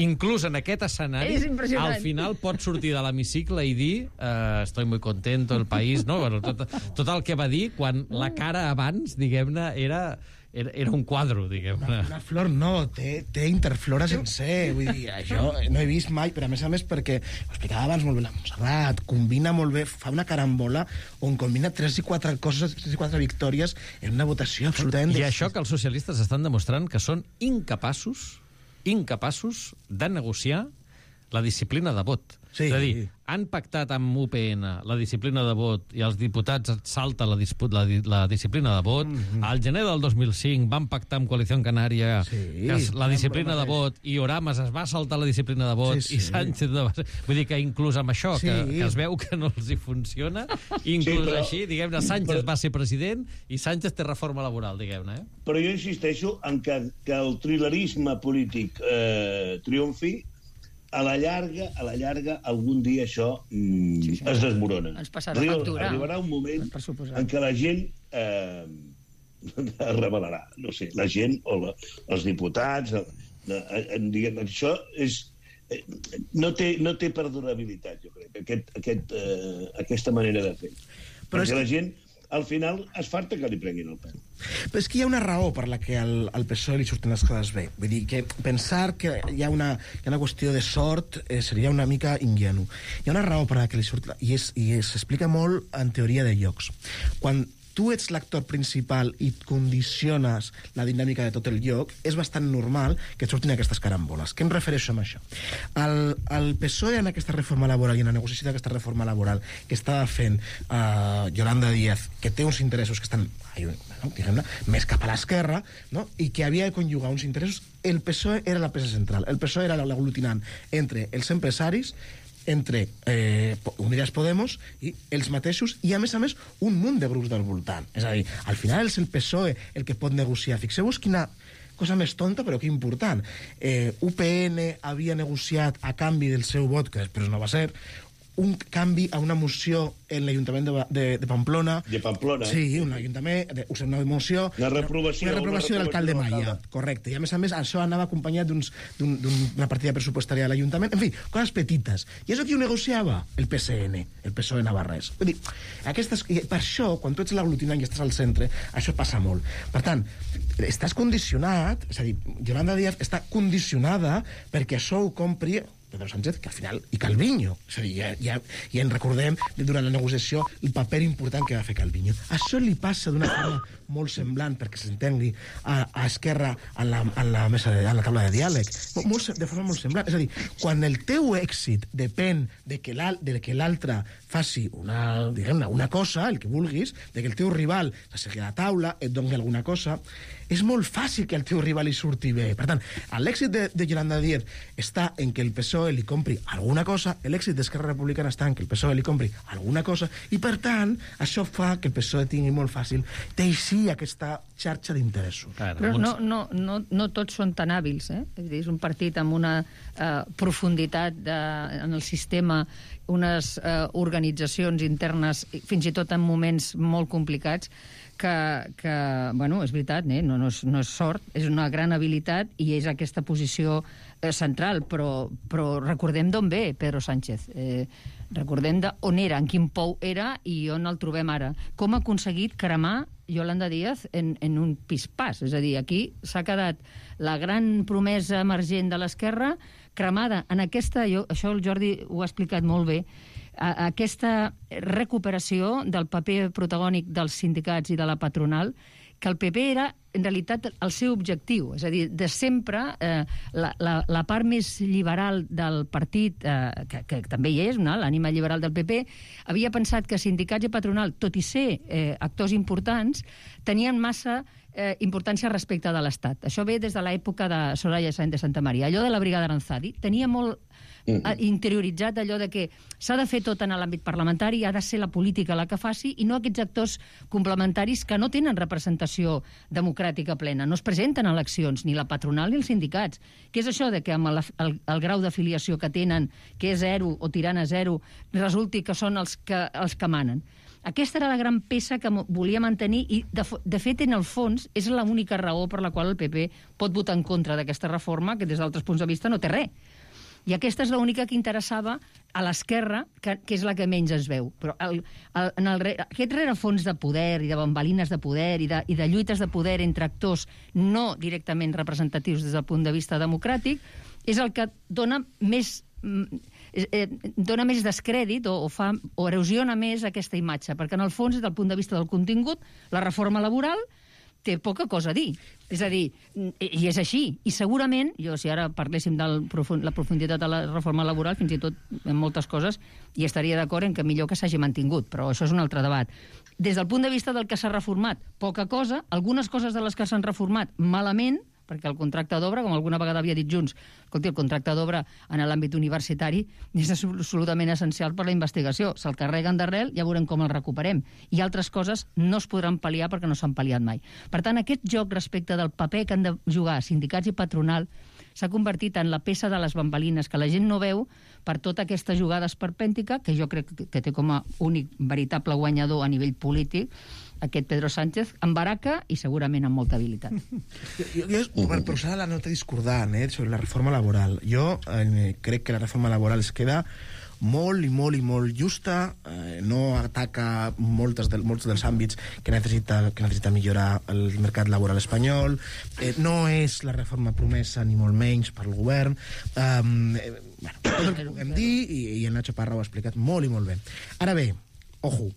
Speaker 2: inclús en aquest escenari, al final pot sortir de l'hemicicle i dir eh, estoy muy contento, el país, no? Bueno, tot, tot el que va dir quan la cara abans, diguem-ne, era... Era, era un quadro, diguem-ne.
Speaker 6: Una, una flor no, té, té interflora sencer. Vull dir, això no he vist mai, però a més a més perquè, ho explicava abans molt bé la Montserrat, combina molt bé, fa una carambola on combina tres i quatre coses, tres i quatre victòries en una votació absolutament...
Speaker 2: I això que els socialistes estan demostrant que són incapaços, incapaços de negociar la disciplina de vot. Sí. És a dir, han pactat amb U P N la disciplina de vot i els diputats salta la, la, la disciplina de vot. Mm-hmm. Al gener del dos mil cinc van pactar amb Coalició Canària sí, la disciplina de vot i Oramas es va saltar la disciplina de vot sí, sí. i Sánchez... De... Vull dir que inclús amb això, sí. que, que es veu que no els hi funciona, inclús sí, però... així, diguem-ne, Sánchez però... va ser president i Sánchez té reforma laboral, diguem-ne. Eh?
Speaker 8: Però jo insisteixo en que, que el trilerisme polític eh, triomfi. A la llarga, a la llarga, algun dia això mm, sí, sí. es desmorona.
Speaker 7: Ens passarà factura.
Speaker 8: Arribarà un moment en què la gent eh, es revelarà. No sé, la gent o la, els diputats... Eh, eh, diguem, això és... Eh, no, té, no té perdurabilitat, jo crec, aquest, aquest, eh, aquesta manera de fer. Però Perquè és... la gent... al final es farta que li prenguin el pèl.
Speaker 6: Però és que hi ha una raó per la que al, al P S O E li surten les coses bé. Vull dir, que pensar que hi ha una, hi ha una qüestió de sort eh, seria una mica ingenu. Hi ha una raó per la que li surt... I, és, i s'explica molt en teoria de llocs. Quan tu ets l'actor principal i condiciones la dinàmica de tot el lloc, és bastant normal que et surtin aquestes caramboles. Què em refereixo amb això? El, el P S O E en aquesta reforma laboral i en la negociació d'aquesta reforma laboral que estava fent uh, Yolanda Díaz, que té uns interessos que estan no, diguem-ne, més cap a l'esquerra, no? I que havia de conjugar uns interessos, el P S O E era la peça central. El P S O E era l'aglutinant entre els empresaris, entre eh, Unidas Podemos i els mateixos, i a més a més un munt de grups del voltant. És a dir, al final és el P S O E el que pot negociar. Fixeu-vos quina, cosa més tonta, però que important. Eh, U P N havia negociat a canvi del seu vot, que després no va ser, un canvi a una moció en l'Ajuntament de, de, de Pamplona.
Speaker 8: De Pamplona.
Speaker 6: Sí, un ajuntament, de, una moció...
Speaker 8: Una reprovació.
Speaker 6: Una reprovació de l'alcalde Maia, correcte. I a més a més, això anava acompanyat d'una un, un, partida pressupostària de l'Ajuntament. En fi, coses petites. I això qui ho negociava? El P S N, el P S O E navarrès. Vull dir, aquestes, per això, quan tu ets l'aglutinant i estàs al centre, això passa molt. Per tant, estàs condicionat, és a dir, Yolanda Díaz està condicionada perquè això ho compri Pedro Sánchez, que al final, i Calviño. És a dir, ja, ja, ja en recordem durant la negociació el paper important que va fer Calviño. Això li passa d'una forma molt semblant, perquè s'entengui, a, a Esquerra en la, en la mesa de, en la taula de diàleg. Molt, de forma molt semblant. És a dir, quan el teu èxit depèn de que l'altre faci una, diguem-ne, una cosa, el que vulguis, de que el teu rival s'assegui a la taula, et doni alguna cosa, és molt fàcil que el teu rival hi surti bé. Per tant, l'èxit de, de Yolanda Díaz està en que el P S O E li compri alguna cosa, l'èxit d'Esquerra Republicana està en que el P S O E li compri alguna cosa, i per tant, això fa que el P S O E tingui molt fàcil teixir aquesta xarxa d'interessos.
Speaker 7: Però no, no, no, no tots són tan hàbils, eh? És dir, és un partit amb una eh, profunditat de, en el sistema, unes eh, organitzacions internes, fins i tot en moments molt complicats, que, que bueno, és veritat, eh? no, no, és, no és sort, és una gran habilitat i és aquesta posició eh, central, però, però recordem d'on ve Pedro Sánchez, eh, recordem d'on era, en quin pou era i on el trobem ara. Com ha aconseguit cremar Yolanda Díaz en, en un pispàs, és a dir, aquí s'ha quedat la gran promesa emergent de l'esquerra cremada en aquesta, jo, això el Jordi ho ha explicat molt bé, a aquesta recuperació del paper protagònic dels sindicats i de la patronal, que el P P era, en realitat, el seu objectiu. És a dir, de sempre, eh, la, la, la part més liberal del partit, eh, que, que també hi és, no? L'ànima liberal del P P, havia pensat que sindicats i patronal, tot i ser eh, actors importants, tenien massa eh, importància respecte de l'Estat. Això ve des de l'època de Soraya Sáenz de Santa Maria. Allò de la brigada Aranzadi tenia molt interioritzat allò de que s'ha de fer tot en l'àmbit parlamentari, ha de ser la política la que faci i no aquests actors complementaris que no tenen representació democràtica plena, no es presenten a eleccions, ni la patronal ni els sindicats. Què és això de que amb el, el, el grau d'afiliació que tenen, que és zero o tirant a zero, resulti que són els que, els que manen? Aquesta era la gran peça que volia mantenir i, de, de fet, en el fons, és l'única raó per la qual el P P pot votar en contra d'aquesta reforma, que des d'altres punts de vista no té res. I aquesta és l'única que interessava a l'esquerra, que, que és la que menys es veu. Però el, el, en el, aquest rerefons de poder i de bambalines de poder i de, i de lluites de poder entre actors no directament representatius des del punt de vista democràtic és el que dona més... Eh, dona més descrèdit o, o, fa, o erosiona més aquesta imatge, perquè en el fons, des del punt de vista del contingut, la reforma laboral té poca cosa a dir. És a dir, i és així. I segurament, jo si ara parléssim de la profunditat de la reforma laboral, fins i tot en moltes coses, hi estaria d'acord en que millor que s'hagi mantingut, però això és un altre debat. Des del punt de vista del que s'ha reformat, poca cosa, algunes coses de les que s'han reformat malament, perquè el contracte d'obra, com alguna vegada havia dit Junts, escolti, el contracte d'obra en l'àmbit universitari és absolutament essencial per la investigació. Se'l carreguen d'arrel, ja veurem com el recuperem. I altres coses no es podran pal·liar perquè no s'han pal·liat mai. Per tant, aquest joc respecte del paper que han de jugar sindicats i patronal s'ha convertit en la peça de les bambalines que la gent no veu per tota aquesta jugada esperpèntica, que jo crec que té com a únic veritable guanyador a nivell polític aquest Pedro Sánchez, amb baraca i segurament amb molta habilitat.
Speaker 6: Jo, jo, jo per posar la nota discordant eh, sobre la reforma laboral, jo eh, crec que la reforma laboral es queda molt i molt i molt justa, eh, no ataca moltes del, molts dels àmbits que necessita, que necessita millorar el mercat laboral espanyol, eh, no és la reforma promesa ni molt menys per al govern, eh, bueno, tot el que puguem dir, i, i el Nacho Parra ho ha explicat molt i molt bé. Ara bé, ojo,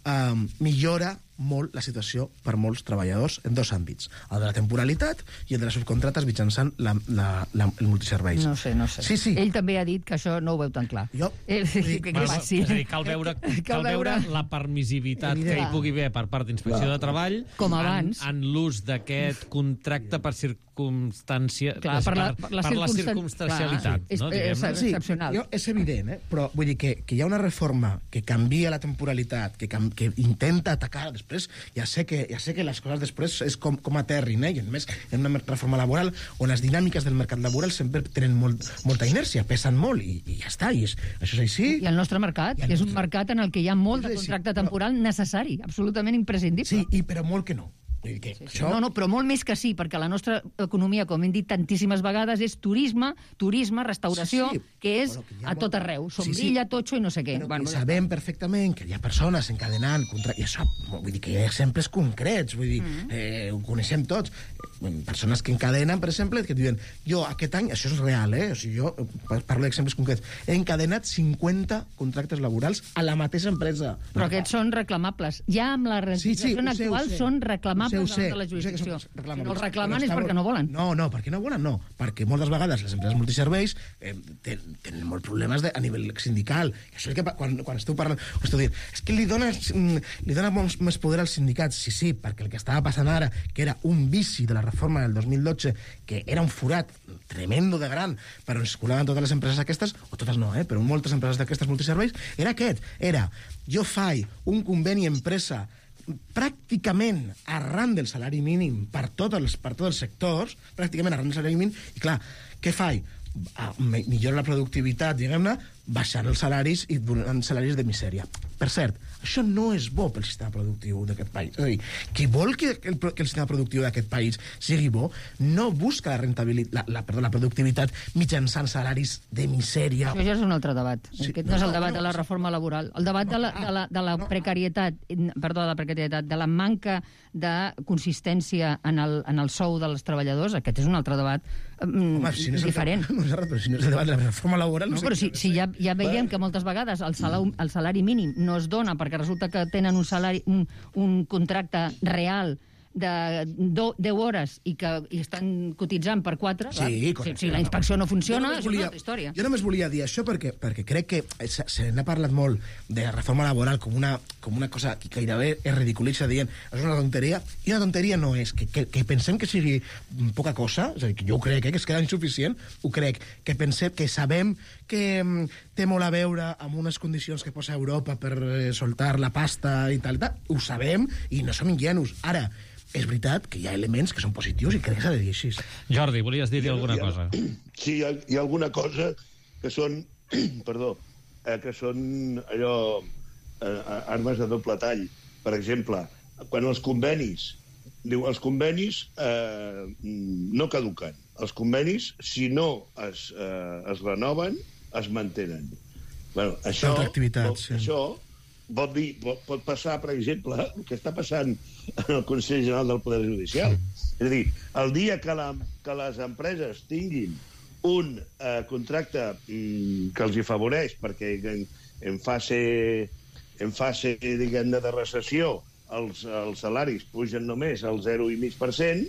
Speaker 6: eh, millora molt la situació per molts treballadors en dos àmbits, el de la temporalitat i el de les subcontrates mitjançant la, la, la, el multiserveis.
Speaker 7: No sé, no sé.
Speaker 6: Sí, sí.
Speaker 7: Ell també ha dit que això no ho veu tan clar.
Speaker 6: Jo...
Speaker 7: Eh,
Speaker 6: sí,
Speaker 7: que,
Speaker 2: bueno,
Speaker 7: que, sí.
Speaker 2: És a dir, cal veure, cal, cal veure la permissivitat Evident. que hi pugui haver per part d'Inspecció de Treball
Speaker 7: com abans
Speaker 2: en, en l'ús d'aquest contracte per circumstància
Speaker 7: clar, per la, per la,
Speaker 2: per la circumstancialitat.
Speaker 7: Clar,
Speaker 2: no,
Speaker 7: és, és excepcional.
Speaker 6: Sí, jo, és evident, eh? Però vull dir que, que hi ha una reforma que canvia la temporalitat, que, que intenta atacar després després ja sé que, ja sé que les coses després és com, com aterrin, eh? I a més, en una reforma laboral on les dinàmiques del mercat laboral sempre tenen molt, molta inèrcia, pesen molt, i, i ja està, i és, això és així.
Speaker 7: I el nostre mercat, que és un mercat en el que hi ha molt de contracte temporal necessari, absolutament imprescindible.
Speaker 6: Sí, i, però molt que no. Que
Speaker 7: sí, sí. Això... No, no, però molt més que sí, perquè la nostra economia, com hem dit tantíssimes vegades, és turisme, turisme, restauració, sí, sí. que és bueno, que a tot arreu. Sombrilla, sí, sí. Totxo i no sé què.
Speaker 6: Però
Speaker 7: bueno,
Speaker 6: sabem perfectament que hi ha persones encadenant contra... I això, vull dir que hi ha exemples concrets, vull dir, mm. eh, ho coneixem tots. Persones que encadenen, per exemple, que diuen, jo aquest any, això és real, eh? O sigui, jo parlo d'exemples concrets, he encadenat cinquanta contractes laborals a la mateixa empresa.
Speaker 7: Però aquests són reclamables. Ja amb la legislació
Speaker 6: sí, sí,
Speaker 7: actual són reclamables
Speaker 6: Ho sé,
Speaker 7: de la jurisdicció.
Speaker 6: Si
Speaker 7: no els reclamen és perquè no volen.
Speaker 6: No, no, perquè no volen, no. Perquè moltes vegades les empreses multiserveis eh, tenen, tenen molts problemes de, a nivell sindical. I això és que quan, quan esteu parlant... Esteu dient, és que li dona, li dona més, més poder als sindicats. Sí, sí, perquè el que estava passant ara, que era un vici de la reforma del dos mil dotze, que era un forat tremendo de gran, però es colaven totes les empreses aquestes, o totes no, eh, però moltes empreses d'aquestes multiserveis, era aquest. Era, jo faig un conveni empresa pràcticament arran del salari mínim per tots els, per tots els sectors, pràcticament arran del salari mínim, i clar, què faig? Millora la productivitat, diguem-ne, baixant els salaris i donant salaris de misèria. Per cert, això no és bo pel sistema productiu d'aquest país. És a dir, qui vol que el, que el sistema productiu d'aquest país sigui bo, no busca la rentabilitat, la, la, perdó, la productivitat mitjançant salaris de misèria.
Speaker 7: Això ja és un altre debat. Sí, aquest no, no és el debat no, no, de la reforma laboral. El debat no, de la, de la, de la no, precarietat, perdó, de la precarietat, de la manca de consistència en el, en el sou dels treballadors, aquest és un altre debat mm, Home, si no diferent.
Speaker 6: El, no, però si no és el debat de la reforma laboral...
Speaker 7: No, no sé però si, si ja, ja veiem que moltes vegades el salari, el salari mínim no es dona perquè resulta que tenen un salari, un, un contracte real de deu hores i que i estan cotitzant per quatre,
Speaker 6: sí,
Speaker 7: si, si la inspecció no funciona, no és volia, una altra història.
Speaker 6: Jo només volia dir això perquè, perquè crec que se, se n'ha parlat molt de la reforma laboral com una, com una cosa que gairebé es ridiculitza dient és una tonteria, i una tonteria no és que, que, que pensem que sigui poca cosa, és a dir, que jo ho crec, eh, que es queda insuficient, ho crec, que pensem, que sabem que mm, té molt a veure amb unes condicions que posa Europa per eh, soltar la pasta i tal, i tal, ho sabem i no som ingenus. Ara, és veritat que hi ha elements que són positius i crec que s'ha de dir així.
Speaker 2: Jordi, volies dir-hi alguna
Speaker 8: ha,
Speaker 2: cosa?
Speaker 8: Sí, hi ha, hi ha alguna cosa que són, perdó, eh, que són allò, eh, armes de doble tall. Per exemple, quan els convenis, diu, els convenis eh, no caduquen. Els convenis, si no es, eh, es renoven, es mantenen. Bueno, això,
Speaker 6: activitat, sí.
Speaker 8: això pot, dir, pot, pot passar, per exemple, el que està passant en el Consell General del Poder Judicial. És a dir, el dia que, la, que les empreses tinguin un eh, contracte mm, que els hi afavoreix, perquè en, en fase, en fase diguem-ne, de recessió els, els salaris pugen només al zero coma cinc per cent,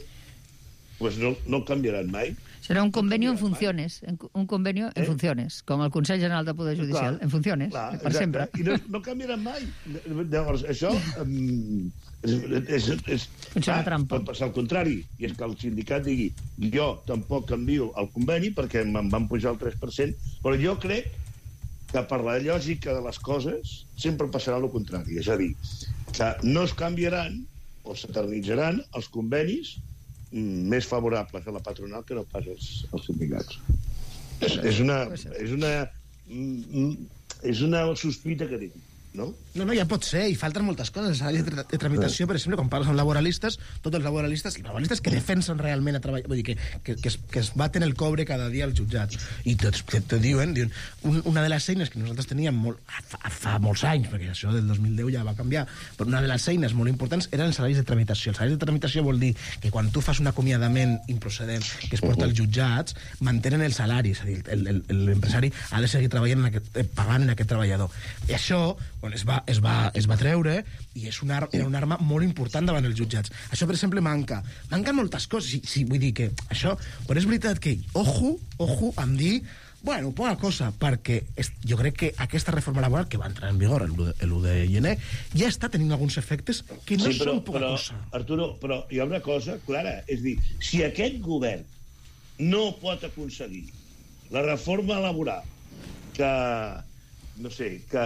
Speaker 8: pues no, no canviaran mai.
Speaker 7: Serà un conveni en funciones, un conveni en eh? funciones, com el Consell General del Poder Judicial, clar, en funciones, clar, per exacte. Sempre.
Speaker 8: I no, no canviaran mai. Llavors, això um, és, és, és,
Speaker 7: funciona ah, trampa.
Speaker 8: Pot passar al contrari, i és que el sindicat digui jo tampoc canvio el conveni perquè me'n van pujar el tres per cent, però jo crec que per la lògica de les coses sempre passarà el contrari. És a dir, que no es canviaran o s'eternitzaran els convenis més favorables a la patronal que no pas als, als sindicats. És, és, una, és, una, és una sospita que tinc, no?
Speaker 6: No, no, ja pot ser, i falten moltes coses. De, tra de tramitació, per exemple, quan parles amb laboralistes, tots els laboralistes, els laboralistes que defensen realment a treballar, vull dir, que, que, que, es, que es baten el cobre cada dia als jutjats, i tots te, te diuen, diuen un, una de les eines que nosaltres teníem molt, fa, fa molts anys, perquè això del dos mil deu ja va canviar, però una de les eines molt importants eren els salaris de tramitació. Els salaris de tramitació vol dir que quan tu fas un acomiadament improcedent que es porta als jutjats, mantenen el salari, és a dir, l'empresari ha de seguir treballant en aquest, pagant en aquest treballador. I això, quan es va, es va es va treure i és una, era una arma molt important davant els jutjats. Això, per exemple, manca. Manquen moltes coses. Sí, sí, vull dir que això... Però és veritat que, ojo, ojo, em dir, bueno, poca cosa, perquè és, jo crec que aquesta reforma laboral que va entrar en vigor l'u de gener ja està tenint alguns efectes que no sí, però, són poca
Speaker 8: però,
Speaker 6: cosa.
Speaker 8: Arturo, però hi ha una cosa clara. És dir, si aquest govern no pot aconseguir la reforma laboral que no sé, que,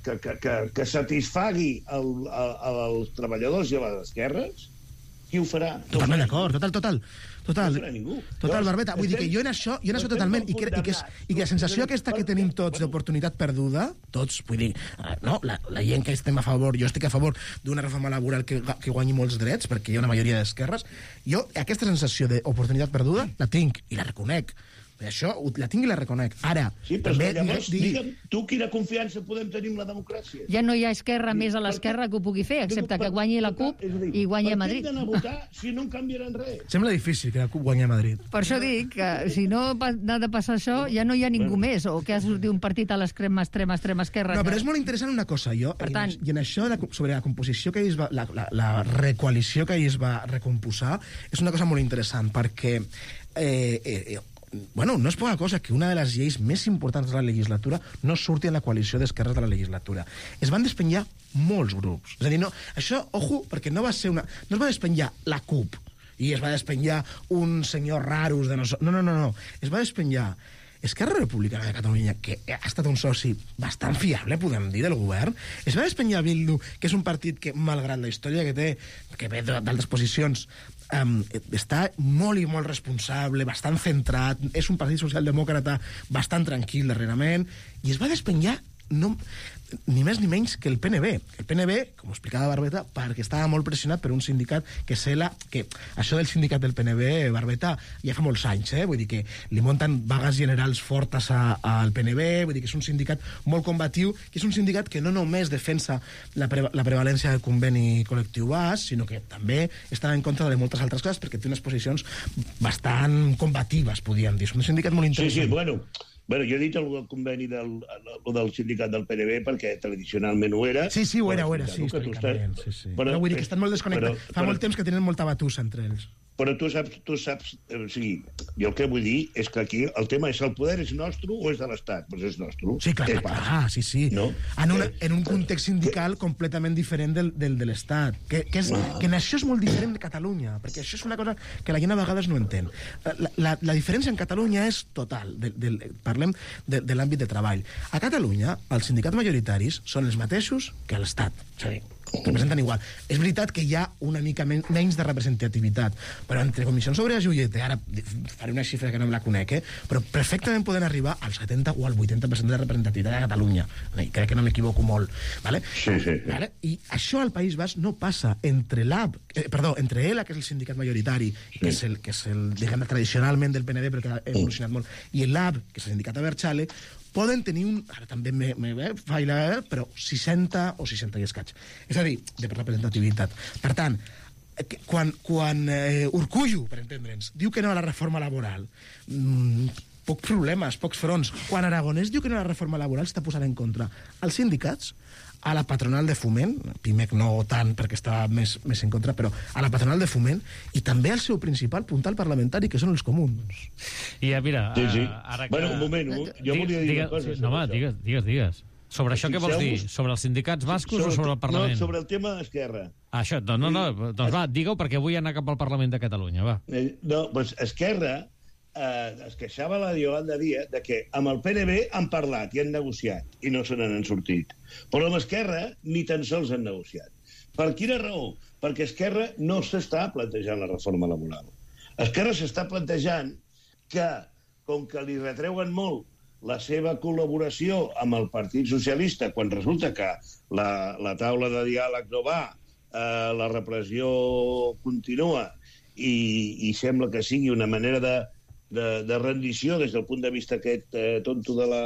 Speaker 8: que, que, que, que satisfagui el, el, els treballadors i a les esquerres, qui ho farà?
Speaker 6: Totalment d'acord, total, total. Total,
Speaker 8: no farà ningú.
Speaker 6: total, Barbeta. Vull dir que jo en això, jo en això totalment, i que, i, que és, i que la sensació aquesta que tenim tots d'oportunitat perduda, tots, vull dir, no, la, la gent que estem a favor, jo estic a favor d'una reforma laboral que, que guanyi molts drets, perquè hi ha una majoria d'esquerres, jo aquesta sensació d'oportunitat perduda la tinc i la reconec. Això la tinc i la reconec. Ara,
Speaker 8: sí, però
Speaker 6: també...
Speaker 8: Llavors,
Speaker 6: digui...
Speaker 8: digue'm, tu quina confiança podem tenir en la democràcia?
Speaker 7: Ja no hi ha esquerra més a l'esquerra que ho pugui fer, excepte que guanyi la CUP i guanyi a Madrid.
Speaker 8: Per què hem d'anar a votar si no en canviaran res?
Speaker 6: Sembla difícil que la CUP guanyi a Madrid.
Speaker 7: Per això dic que si no ha de passar això, ja no hi ha ningú més, o que ha sortit un partit a l'extrema, extrema, extrema esquerra.
Speaker 6: No, però és molt interessant una cosa, jo,
Speaker 7: per tant,
Speaker 6: i en això, sobre la composició que es va, la, la, la recoalició que es va recomposar, és una cosa molt interessant, perquè eh, eh, bueno, no és poca cosa que una de les lleis més importants de la legislatura no surti en la coalició d'esquerres de la legislatura. Es van despenjar molts grups. És a dir, no, això, ojo, perquè no va ser una... No es va despenjar la CUP i es va despenjar un senyor raros de nosaltres. No, no, no, no. Es va despenjar Esquerra Republicana de Catalunya, que ha estat un soci bastant fiable, podem dir, del govern. Es va despenyar Bildu, que és un partit que, malgrat la història que té, que ve d'altres posicions, um, està molt i molt responsable, bastant centrat, és un partit socialdemòcrata bastant tranquil darrerament, i es va despenyar no, ni més ni menys que el P N B. El P N B, com ho explicava Barbeta, perquè estava molt pressionat per un sindicat que és la... que això del sindicat del P N B, Barbeta, ja fa molts anys, eh? Vull dir que li munten vagues generals fortes a, al P N B, vull dir que és un sindicat molt combatiu, que és un sindicat que no només defensa la, pre la prevalència del conveni col·lectiu bas, sinó que també està en contra de moltes altres coses, perquè té unes posicions bastant combatives, podríem dir. És un sindicat molt interessant.
Speaker 8: Sí, sí, bueno... Bueno, jo he dit el, el conveni del, el, del sindicat del P N B perquè tradicionalment ho era.
Speaker 6: Sí, sí, ho era, ho era, sí, històricament. Sí, sí. Però, però vull dir que estan molt desconnectats. Fa però, molt temps que tenen molta batussa entre ells.
Speaker 8: Però tu saps, tu saps... O sigui, jo el que vull dir és que aquí el tema és el poder és nostre o és de l'Estat? Doncs és nostre.
Speaker 6: Sí, clar, clar, clar, sí, sí. No? En, una, en un context sindical completament diferent del, del de l'Estat. Que, que, és, que en això és molt diferent de Catalunya, perquè això és una cosa que la gent a vegades no entén. La, la, la diferència en Catalunya és total. De, de, parlem de, de l'àmbit de treball. A Catalunya, els sindicats majoritaris són els mateixos que a l'Estat. És a dir, representen igual. És veritat que hi ha una mica men menys de representativitat, però entre Comissions Obreres i U G T, ara faré una xifra que no me la conec, eh? Però perfectament poden arribar al setanta o al vuitanta per cent de representativitat a Catalunya. Crec que no m'equivoco molt. ¿Vale?
Speaker 8: Sí, sí, sí.
Speaker 6: ¿Vale? I això al País Basc no passa entre l'A B, eh, perdó, entre ELA, que és el sindicat majoritari, sí. que és el, que és el diguem, tradicionalment del P N B, però que ha evolucionat molt, i l'A B, que és el sindicat Abertzale, poden tenir un... Ara també me, me eh, faila, eh, però seixanta o seixanta i escaig. És a dir, de representativitat. Per tant, quan, quan eh, Urkullu, per entendre'ns, diu que no a la reforma laboral, mmm, pocs problemes, pocs fronts. Quan Aragonès diu que no a la reforma laboral, està posant en contra els sindicats, a la patronal de Foment, Pimec no tant perquè estava més, més en contra, però a la patronal de Foment, i també al seu principal puntal parlamentari, que són els comuns.
Speaker 2: I ja, mira...
Speaker 8: Sí, sí.
Speaker 2: Ara que...
Speaker 8: Bueno, un moment, jo volia dir una cosa.
Speaker 2: No, home, digues, digues, digues. Sobre això què vols dir? Sobre els sindicats bascos sobre, o sobre el Parlament?
Speaker 8: No, sobre el tema d'Esquerra.
Speaker 2: Ah, això, no, no, no, doncs va, digue-ho perquè vull anar cap al Parlament de Catalunya, va.
Speaker 8: Eh, no, doncs Esquerra eh, es queixava la Yolanda Díaz de que amb el P N B han parlat i han negociat i no se n'han sortit. Però amb Esquerra ni tan sols han negociat. Per quina raó? Perquè Esquerra no s'està plantejant la reforma laboral. Esquerra s'està plantejant que, com que li retreuen molt la seva col·laboració amb el Partit Socialista, quan resulta que la, la taula de diàleg no va, eh, la repressió continua i, i sembla que sigui una manera de, de, de rendició des del punt de vista aquest eh, tonto de la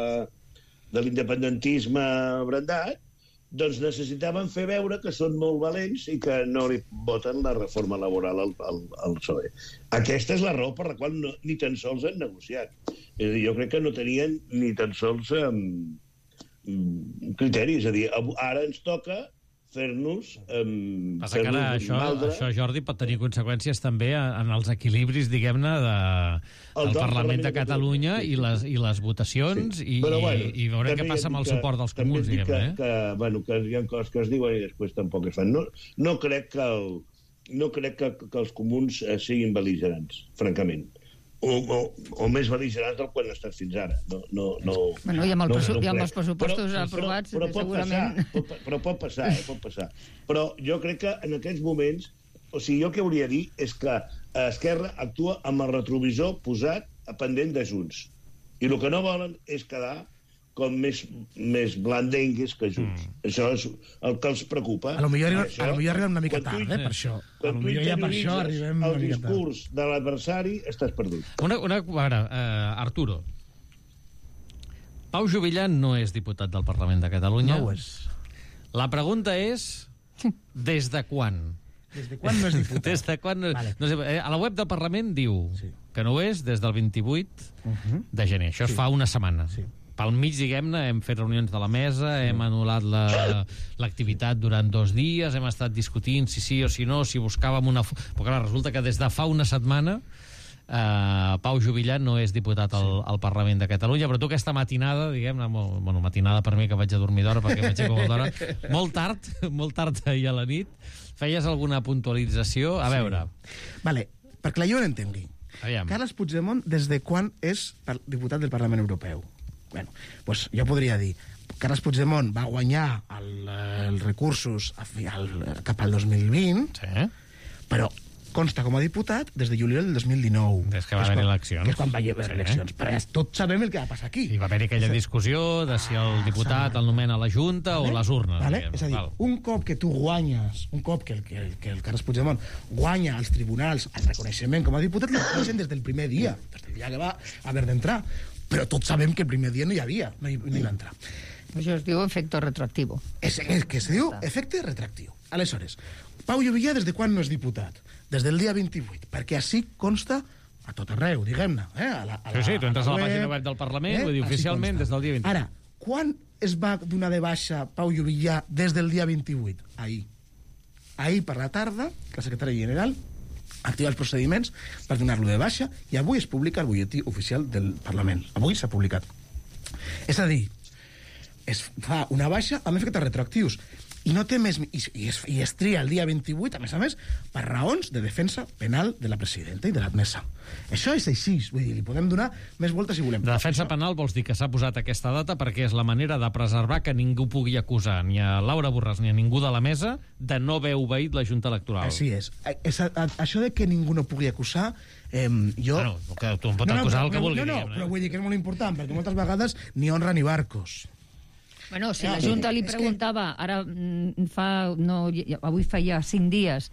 Speaker 8: de l'independentisme brandat, doncs necessitaven fer veure que són molt valents i que no li voten la reforma laboral al, al, al P S O E. Aquesta és la raó per la qual no, ni tan sols han negociat. És a dir, jo crec que no tenien ni tan sols um, criteri. És a dir, ara ens toca fer-nos... Um,
Speaker 2: Passa fer que ara això, això, Jordi, pot tenir conseqüències també en els equilibris, diguem-ne, de, del Parlament, Parlament de Catalunya sí, sí, i, les, i les votacions, sí. i, Però, bueno, i veurem què passa amb el suport dels comuns, diguem-ne. Eh?
Speaker 8: Que, bueno, que hi ha coses que es diuen i després tampoc es fan. No, no crec, que, el, no crec que, que els comuns eh, siguin bel·ligerants, francament. o, o, o més bel·ligerants del quan ha estat fins ara. No, no, no,
Speaker 7: bueno, i amb, el
Speaker 8: no,
Speaker 7: pressu-
Speaker 8: no
Speaker 7: i amb
Speaker 8: crec.
Speaker 7: els pressupostos
Speaker 8: però,
Speaker 7: aprovats,
Speaker 8: però, però pot
Speaker 7: segurament...
Speaker 8: Passar, pot, però pot passar, eh, pot passar. Però jo crec que en aquests moments, o sigui, jo el que hauria de dir és que Esquerra actua amb el retrovisor posat a pendent de Junts. I el que no volen és quedar com més, més blandengues que Junts. Mm. Això és el que els preocupa.
Speaker 6: A lo millor, arriba,
Speaker 8: això,
Speaker 6: a lo millor arribem una mica
Speaker 8: quan
Speaker 6: tard,
Speaker 8: tu-
Speaker 6: eh, per això. A
Speaker 8: Quan
Speaker 6: lo
Speaker 8: tu
Speaker 6: millor ja per això
Speaker 8: interioritzes
Speaker 6: arribem una
Speaker 8: el
Speaker 6: mica tard.
Speaker 8: discurs de l'adversari, estàs perdut.
Speaker 2: Una, una, a veure, uh, Arturo, Pau Juvillà no és diputat del Parlament de Catalunya.
Speaker 6: No ho és.
Speaker 2: La pregunta és, des de quan?
Speaker 6: Des de quan no és diputat?
Speaker 2: Des de quan no...
Speaker 6: Vale.
Speaker 2: no sé, eh, a la web del Parlament diu
Speaker 6: Sí.
Speaker 2: que no ho és des del vint-i-vuit
Speaker 6: Uh-huh.
Speaker 2: de gener. Això es
Speaker 6: Sí.
Speaker 2: fa una setmana.
Speaker 6: Sí.
Speaker 2: Pel mig, diguem-ne, hem fet reunions de la mesa, hem anul·lat la- l'activitat durant dos dies, hem estat discutint si sí o si no, si buscàvem una... fu- Però clar, resulta que des de fa una setmana Uh, Pau Juvillà no és diputat al, al Parlament de Catalunya, però tu aquesta matinada, diguem-ne, molt, bueno, matinada per mi, que vaig a dormir d'hora perquè m'aixeco molt d'hora, molt tard, molt tard ahir a la nit, feies alguna puntualització? A veure...
Speaker 6: Vale, perquè la jo no entengui.
Speaker 2: Aviam.
Speaker 6: Carles Puigdemont, des de quan és par- diputat del Parlament Europeu? Bueno, pues jo podria dir, Carles Puigdemont va guanyar el, els recursos a fi- al, cap al dos mil vint,
Speaker 2: Sí.
Speaker 6: però consta com a diputat des de juliol del dos mil dinou.
Speaker 2: Des que va
Speaker 6: és
Speaker 2: haver
Speaker 6: quan-
Speaker 2: eleccions.
Speaker 6: Que és quan va haver
Speaker 2: Sí.
Speaker 6: eleccions. Però ja tots sabem el que va passar aquí.
Speaker 2: I va haver aquella discussió de si el diputat el nomena la Junta o les urnes.
Speaker 6: Vale?
Speaker 2: diguem.
Speaker 6: És a dir,
Speaker 2: Val.
Speaker 6: un cop que tu guanyes, un cop que el, que el, que el Carles Puigdemont guanya als tribunals el reconeixement com a diputat, li reconeixen des del primer dia, des del dia que va haver d'entrar. Però tots sabem que el primer dia no hi havia, no hi, no hi va entrar.
Speaker 7: Això es diu efecte retroactiu.
Speaker 6: És el que es diu efecte retractiu. Aleshores, Pau Juvillà des de quan no és diputat? Des del dia vint-i-vuit, perquè així consta a tot arreu, diguem-ne. Eh? A la, a
Speaker 2: Sí,
Speaker 6: la,
Speaker 2: sí, tu entres a la pàgina web del Parlament, vull dir,
Speaker 6: Així
Speaker 2: oficialment,
Speaker 6: consta.
Speaker 2: des del dia vint-i-vuit.
Speaker 6: Ara, quan es va donar de baixa Pau Juvillà des del dia vint-i-vuit? Ahir. Ahir per la tarda, la secretària general activa els procediments per donar-lo de baixa i avui es publica el butlletí oficial del Parlament. Avui s'ha publicat. És a dir, es fa una baixa amb efectes retroactius i no té més... I, i, es, i es tria el dia vint-i-vuit, a més a més, per raons de defensa penal de la presidenta i de l'admesa. Això és així, vull dir, li podem donar més voltes si volem.
Speaker 2: De defensa penal vols dir que s'ha posat aquesta data perquè és la manera de preservar que ningú pugui acusar ni a Laura Borràs ni a ningú de la mesa de no haver obeït la Junta Electoral.
Speaker 6: Així és. és a, a, això de que ningú no pugui acusar, eh, jo...
Speaker 2: Bueno, que tu em pots acusar el que
Speaker 6: però,
Speaker 2: vulgui,
Speaker 6: No, no,
Speaker 2: diguem, eh?
Speaker 6: però vull dir que és molt important, perquè moltes vegades ni honra ni barcos.
Speaker 7: Bueno, si la Junta li preguntava, ara mm, fa, no, avui feia cinc dies,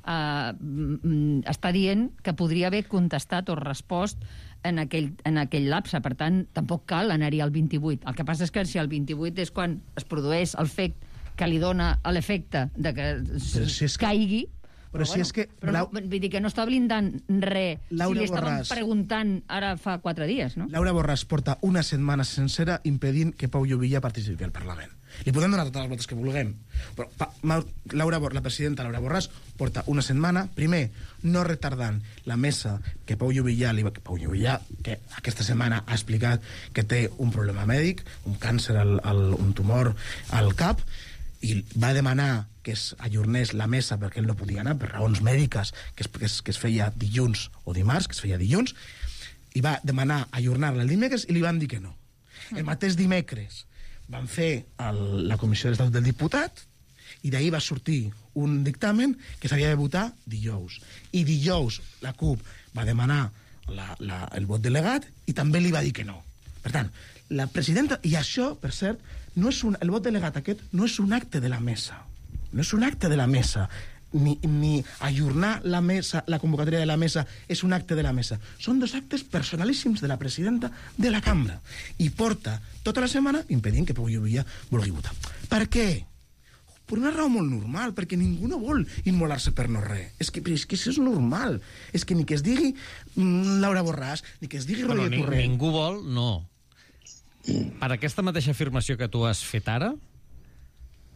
Speaker 7: uh, mm, està dient que podria haver contestat o respost en aquell, en aquell lapse. Per tant, tampoc cal anar-hi al vint-i-vuit. El que passa és que si el vint-i-vuit és quan es produeix el fet que li dona l'efecte de que
Speaker 6: si és que-
Speaker 7: caigui...
Speaker 6: Però si és que...
Speaker 7: Però no, vull dir que no està blindant res
Speaker 6: Laura
Speaker 7: si li estaven
Speaker 6: Borràs.
Speaker 7: preguntant ara fa quatre dies, no?
Speaker 6: Laura Borràs porta una setmana sencera impedint que Pau Juvillà participi al Parlament. Li podem donar totes les voltes que vulguem. Però pa, Ma, Laura, Bor- la presidenta Laura Borràs porta una setmana, primer, no retardant la mesa que Pau Juvillà, li va, que Pau Juvillà, que aquesta setmana ha explicat que té un problema mèdic, un càncer, al, al, un tumor al cap, i va demanar que es ajornés la mesa perquè ell no podia anar per raons mèdiques, que es, que es, que es feia dilluns o dimarts, que es feia dilluns, i va demanar ajornar-la el dimecres i li van dir que no. El mateix dimecres van fer el, la Comissió de l'Estatut del Diputat i d'ahir va sortir un dictamen que s'havia de votar dijous. I dijous la CUP va demanar la, la, el vot delegat i també li va dir que no. Per tant, la presidenta... I això, per cert, no és un, el vot delegat aquest no és un acte de la mesa. No és un acte de la mesa. Ni, ni ajornar la mesa, la convocatòria de la mesa és un acte de la mesa. Són dos actes personalíssims de la presidenta de la cambra. I porta tota la setmana impedint que Pau Juvillà vulgui votar. Per què? Per una raó molt normal, perquè ningú no vol immolar-se per no res. És que, és que això és normal. És que ni que es digui mm, Laura Borràs, ni que es digui
Speaker 2: Bueno,
Speaker 6: Roger
Speaker 2: ni,
Speaker 6: Torrent...
Speaker 2: ningú vol, no. Per aquesta mateixa afirmació que tu has fet ara,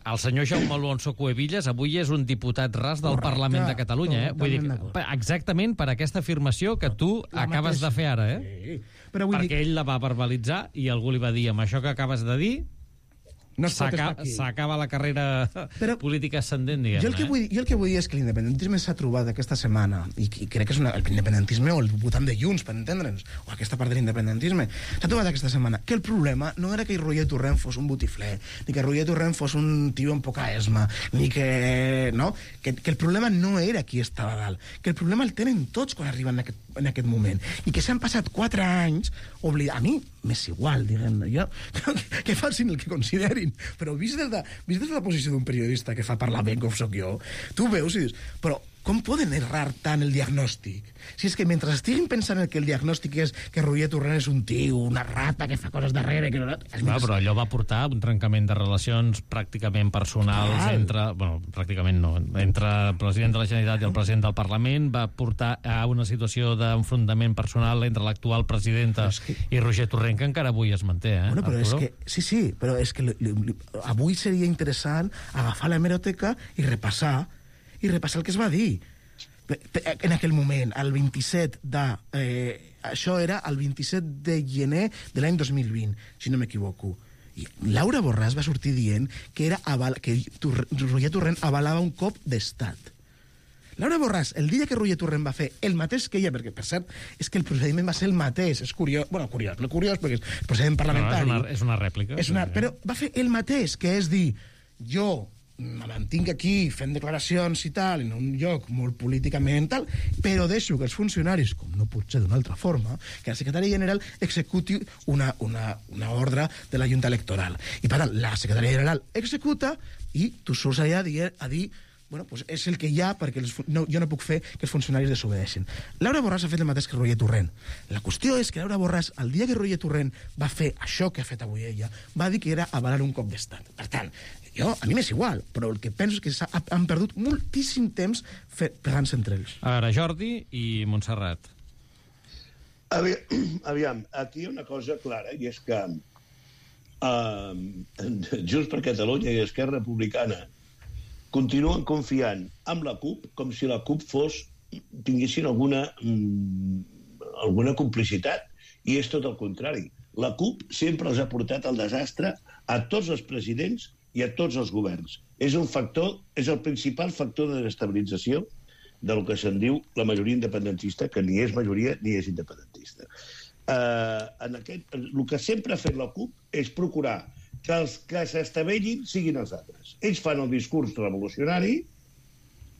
Speaker 2: el senyor Jaume Alonso Cuevillas avui és un diputat ras del
Speaker 6: Correcte,
Speaker 2: Parlament de Catalunya, eh? Vull dir,
Speaker 6: totalment d'acord.
Speaker 2: per- exactament per aquesta afirmació que tu
Speaker 6: La
Speaker 2: acabes
Speaker 6: mateixa.
Speaker 2: de fer ara, eh?
Speaker 6: Sí. Però vull
Speaker 2: Perquè
Speaker 6: dir...
Speaker 2: ell la va verbalitzar i algú li va dir, amb això que acabes de dir,
Speaker 6: No es pot estar aquí.
Speaker 2: S'acaba la carrera però política ascendent, diguem-ne.
Speaker 6: Jo el, que vull, jo el que vull dir és que l'independentisme s'ha trobat aquesta setmana, i, i crec que és una, l'independentisme o el votant de Junts, per entendre'ns, o aquesta part de l'independentisme, s'ha trobat aquesta setmana que el problema no era que Roger Torrent fos un botifler, ni que Roger Torrent fos un tio amb poca esma, ni que... no? Que, que el problema no era qui estava a dalt, que el problema el tenen tots quan arriben en aquest, en aquest moment, i que s'han passat quatre anys oblidant. A mi m'és igual, diguem-ne, jo, que, que facin el que considerin, però vist des de, vist des de la posició d'un periodista que fa parlar ben com soc jo, tu veus i dius, però com poden errar tant el diagnòstic? Si és que mentre estiguin pensant que el diagnòstic és que Roger Torrent és un tio, una rata que fa coses darrere... Que no...
Speaker 2: Clar, però allò va portar un trencament de relacions pràcticament personals Clar. entre... Bueno, pràcticament no. Entre el president de la Generalitat i el president del Parlament va portar a una situació d'enfrontament personal entre l'actual presidenta que... i Roger Torrent, que encara avui es manté, eh?
Speaker 6: Bueno, però és que... Sí, sí, però és que li, li, avui seria interessant agafar l'hemeroteca i repassar i repassar el que es va dir en aquell moment, el vint-i-set de... Eh, això era el vint-i-set de gener de l'any dos mil vint, si no m'equivoco. I Laura Borràs va sortir dient que, era aval, que Roger Torrent avalava un cop d'estat. Laura Borràs, el dia que Roger Torrent va fer el mateix que ella, perquè, per cert, és que el procediment va ser el mateix, és curiós, bueno, curiós, no curiós, perquè és procediment parlamentari.
Speaker 2: No, és, una, és una rèplica.
Speaker 6: És una, però va fer el mateix, que és dir, jo me mantinc aquí fent declaracions i tal, en un lloc molt políticament tal, però deixo que els funcionaris, com no pot ser d'una altra forma, que el secretari general executi una, una, una ordre de la Junta Electoral. I per tant, la secretària general executa i tu surts allà a dir, a dir bueno, pues és el que hi ha perquè els, no, jo no puc fer que els funcionaris desobedeixin. Laura Borràs ha fet el mateix que Roger Torrent. La qüestió és que Laura Borràs, el dia que Roger Torrent va fer això que ha fet avui ella, va dir que era avalar un cop d'estat. Per tant, jo, a mi m'és igual, però el que penso és que han perdut moltíssim temps pegant-se entre ells.
Speaker 2: A veure, Jordi i Montserrat.
Speaker 8: Aviam, aviam, aquí hi ha una cosa clara, i és que uh, Junts per Catalunya i Esquerra Republicana continuen confiant en la CUP com si la CUP fos, tinguessin alguna, mm, alguna complicitat, i és tot el contrari. La CUP sempre els ha portat al desastre a tots els presidents i a tots els governs. És un factor, és el principal factor de desestabilització del que se'n diu la majoria independentista, que ni és majoria ni és independentista. Uh, en aquest, el que sempre ha fet la CUP és procurar que els que s'estavellin siguin els altres. Ells fan el discurs revolucionari,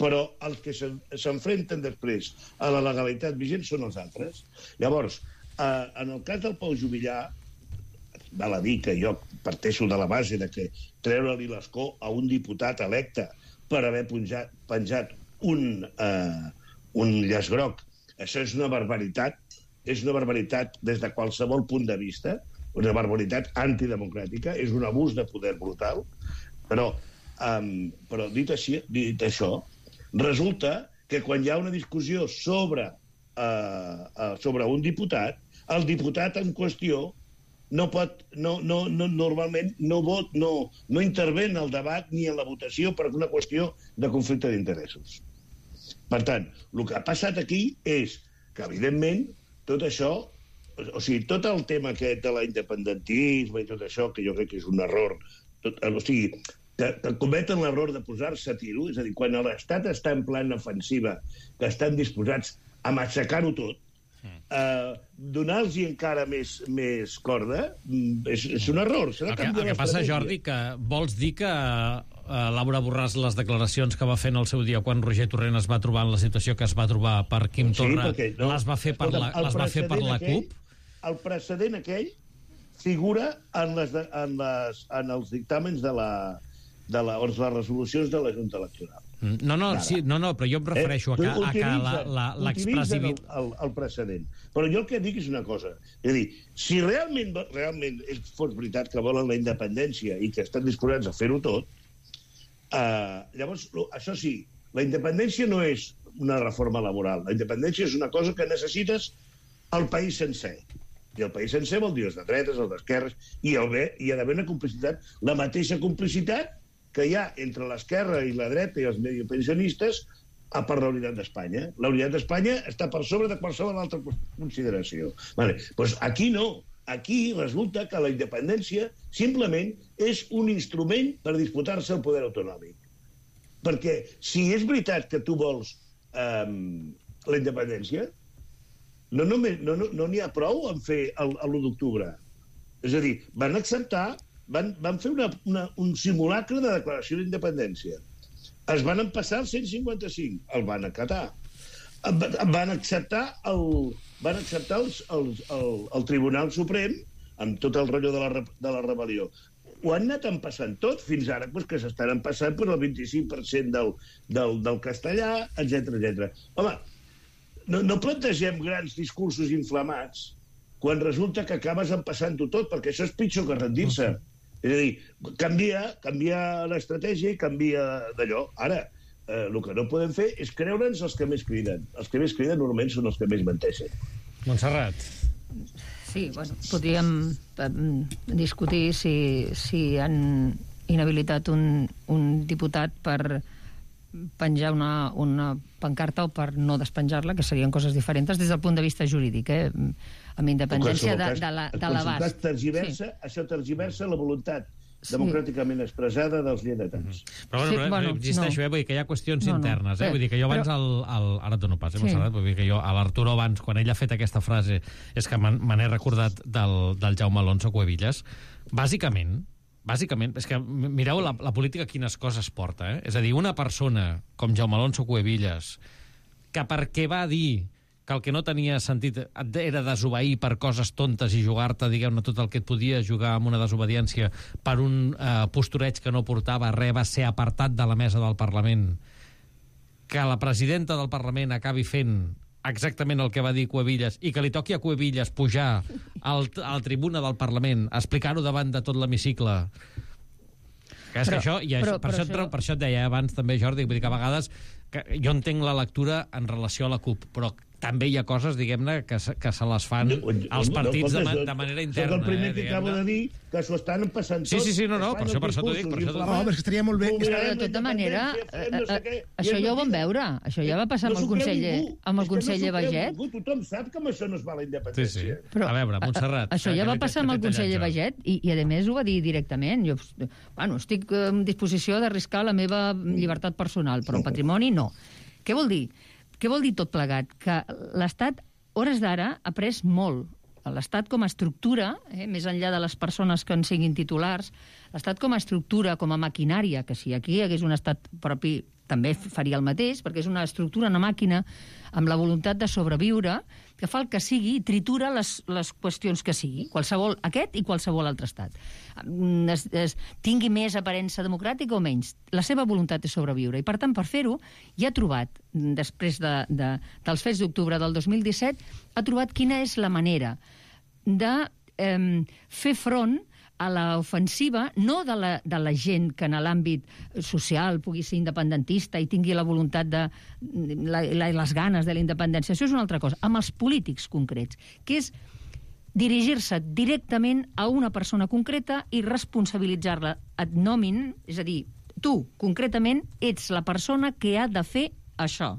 Speaker 8: però els que s'enfrenten després a la legalitat vigent són els altres. Llavors, eh, en el cas del Pau Juvillà, val a dir que jo parteixo de la base de que treure-li l'escó a un diputat electe per haver penjat, penjat un, eh, un llaç groc, això és una barbaritat, és una barbaritat des de qualsevol punt de vista, una barbaritat antidemocràtica, és un abús de poder brutal, però, um, però dit, així, dit això, resulta que quan hi ha una discussió sobre, uh, uh, sobre un diputat, el diputat en qüestió no pot, no, no, no, normalment no, vot, no, no intervé en el debat ni en la votació per una qüestió de conflicte d'interessos. Per tant, el que ha passat aquí és que, evidentment, tot això, o sigui, tot el tema aquest de l'independentisme i tot això, que jo crec que és un error, tot, o sigui, que, que cometen l'error de posar-se a tiro, és a dir, quan l'Estat està en plan ofensiva, que estan disposats a matxacar-ho tot, eh, donar-los encara més, més corda, és, és un error.
Speaker 2: El que, el que passa, Jordi, que vols dir que uh, Laura Borràs, les declaracions que va fer en el seu dia quan Roger Torrent es va trobar en la situació que es va trobar per Quim Torra, sí, no, les va fer per la, les va fer per la
Speaker 8: aquell,
Speaker 2: CUP?
Speaker 8: El precedent aquell figura en, les, en, les, en els dictàmens de la, de la, o les resolucions de la Junta Electoral.
Speaker 2: No, no, sí, no, no, però jo em refereixo eh, a que, a que l'expresident...
Speaker 8: El, el, el precedent. Però jo el que dic és una cosa. És a dir, si realment, realment fos veritat que volen la independència i que estan disposats a fer-ho tot, eh, llavors, això sí, la independència no és una reforma laboral. La independència és una cosa que necessites al país sencer. I el país sencer vol dir els de dretes, els d'esquerres, i el bé, hi ha d'haver una complicitat, la mateixa complicitat que hi ha entre l'esquerra i la dreta i els mediopensionistes a per la unitat d'Espanya. La unitat d'Espanya està per sobre de qualsevol altra consideració. Vale. Pues aquí no. aquí resulta que la independència simplement és un instrument per disputar-se el poder autonòmic. Perquè si és veritat que tu vols eh, la independència, no n'hi no, no, no ha prou en fer l'u d'octubre. És a dir, van acceptar, van, van fer una, una, un simulacre de declaració d'independència. Es van empassar el cent cinquanta-cinc, el van acatar. Van acceptar el, van acceptar els, els, el, el Tribunal Suprem amb tot el rotllo de la, de la rebel·lió. Ho han anat empassant tot, fins ara doncs, que s'estan empassant per el vint-i-cinc per cent del, del, del castellà, etcètera etcètera. Home, no, no plantegem grans discursos inflamats quan resulta que acabes empassant-ho tot, perquè això és pitjor que rendir-se. És a dir, canvia, canvia l'estratègia i canvia d'allò. Ara, eh, el que no podem fer és creure'ns els que més criden. Els que més criden normalment són els que més menteixen.
Speaker 2: Montserrat.
Speaker 7: Sí, bueno, podríem discutir si, si han inhabilitat un, un diputat per penjar una, una pancarta o per no despenjar-la, que serien coses diferents des del punt de vista jurídic, eh? Amb independència de, de la, de l'abast.
Speaker 8: Tergiversa, sí. Això tergiversa la voluntat democràticament expressada dels lleidatans.
Speaker 2: Mm-hmm. Però, bueno, sí, però bueno, existeixo, no. eh? Vull dir que hi ha qüestions no, no. internes, eh? Vull dir que jo abans,
Speaker 7: però...
Speaker 2: el, el, ara et dono pas, eh,
Speaker 7: sí.
Speaker 2: Montserrat, vull dir que jo, a l'Arturo abans, quan ell ha fet aquesta frase, és que me n'he recordat del, del Jaume Alonso Cuevillas, bàsicament, bàsicament, és que mireu la, la política quines coses porta, eh? És a dir, una persona com Jaume Alonso Cuevillas, que perquè va dir que el que no tenia sentit era desobeir per coses tontes i jugar-te, diguem-ne, tot el que et podia jugar amb una desobediència per un eh, postureig que no portava res, va ser apartat de la mesa del Parlament, que la presidenta del Parlament acabi fent exactament el que va dir Cuevillas i que li toqui a Cuevillas pujar al, a la tribuna del Parlament, explicar-ho davant de tot l'hemicicle. Que és però, que això, i això, però, per, però això, això... per això et deia abans també, Jordi, vull dir que a vegades que jo entenc la lectura en relació a la CUP, però també hi ha coses, diguem-ne, que, que se les fan no, als partits no, no, de, de manera interna.
Speaker 8: Soc el primer
Speaker 2: eh,
Speaker 8: que acabo de dir que s'ho estan passant tot.
Speaker 2: Sí, sí, sí, no, no, per això, per això t'ho dic. Per això
Speaker 6: no, però és que estaria molt bé...
Speaker 7: Però de tota manera, no sé què, això ja ho vam veure. Això ja va passar no amb el conseller, amb el conseller no Baget.
Speaker 8: Tothom sap que amb això no es va la independència.
Speaker 2: Sí, sí. Però, a veure, Montserrat...
Speaker 7: Això ja va passar amb el conseller Baget i, i, a més, ho va dir directament. Jo, bueno, estic en disposició d'arriscar la meva llibertat personal, però el patrimoni no. Què vol dir? Què vol dir tot plegat? Que l'Estat, hores d'ara, ha pres molt. L'Estat com a estructura, eh, més enllà de les persones que en siguin titulars, l'Estat com a estructura, com a maquinària, que si aquí hi hagués un Estat propi també faria el mateix, perquè és una estructura, una màquina, amb la voluntat de sobreviure, que fa el que sigui i tritura les, les qüestions que sigui, qualsevol aquest i qualsevol altre estat. Es, es, tingui més aparença democràtica o menys. La seva voluntat és sobreviure. I, per tant, per fer-ho, ja ha trobat, després de, de, dels fets d'octubre del dos mil disset, ha trobat quina és la manera de eh, fer front a l'ofensiva, no de la, de la gent que en l'àmbit social pugui ser independentista i tingui la voluntat de la, la, les ganes de la independència. Això és una altra cosa. Amb els polítics concrets, que és dirigir-se directament a una persona concreta i responsabilitzar-la ad nomin, és a dir, tu, concretament, ets la persona que ha de fer això.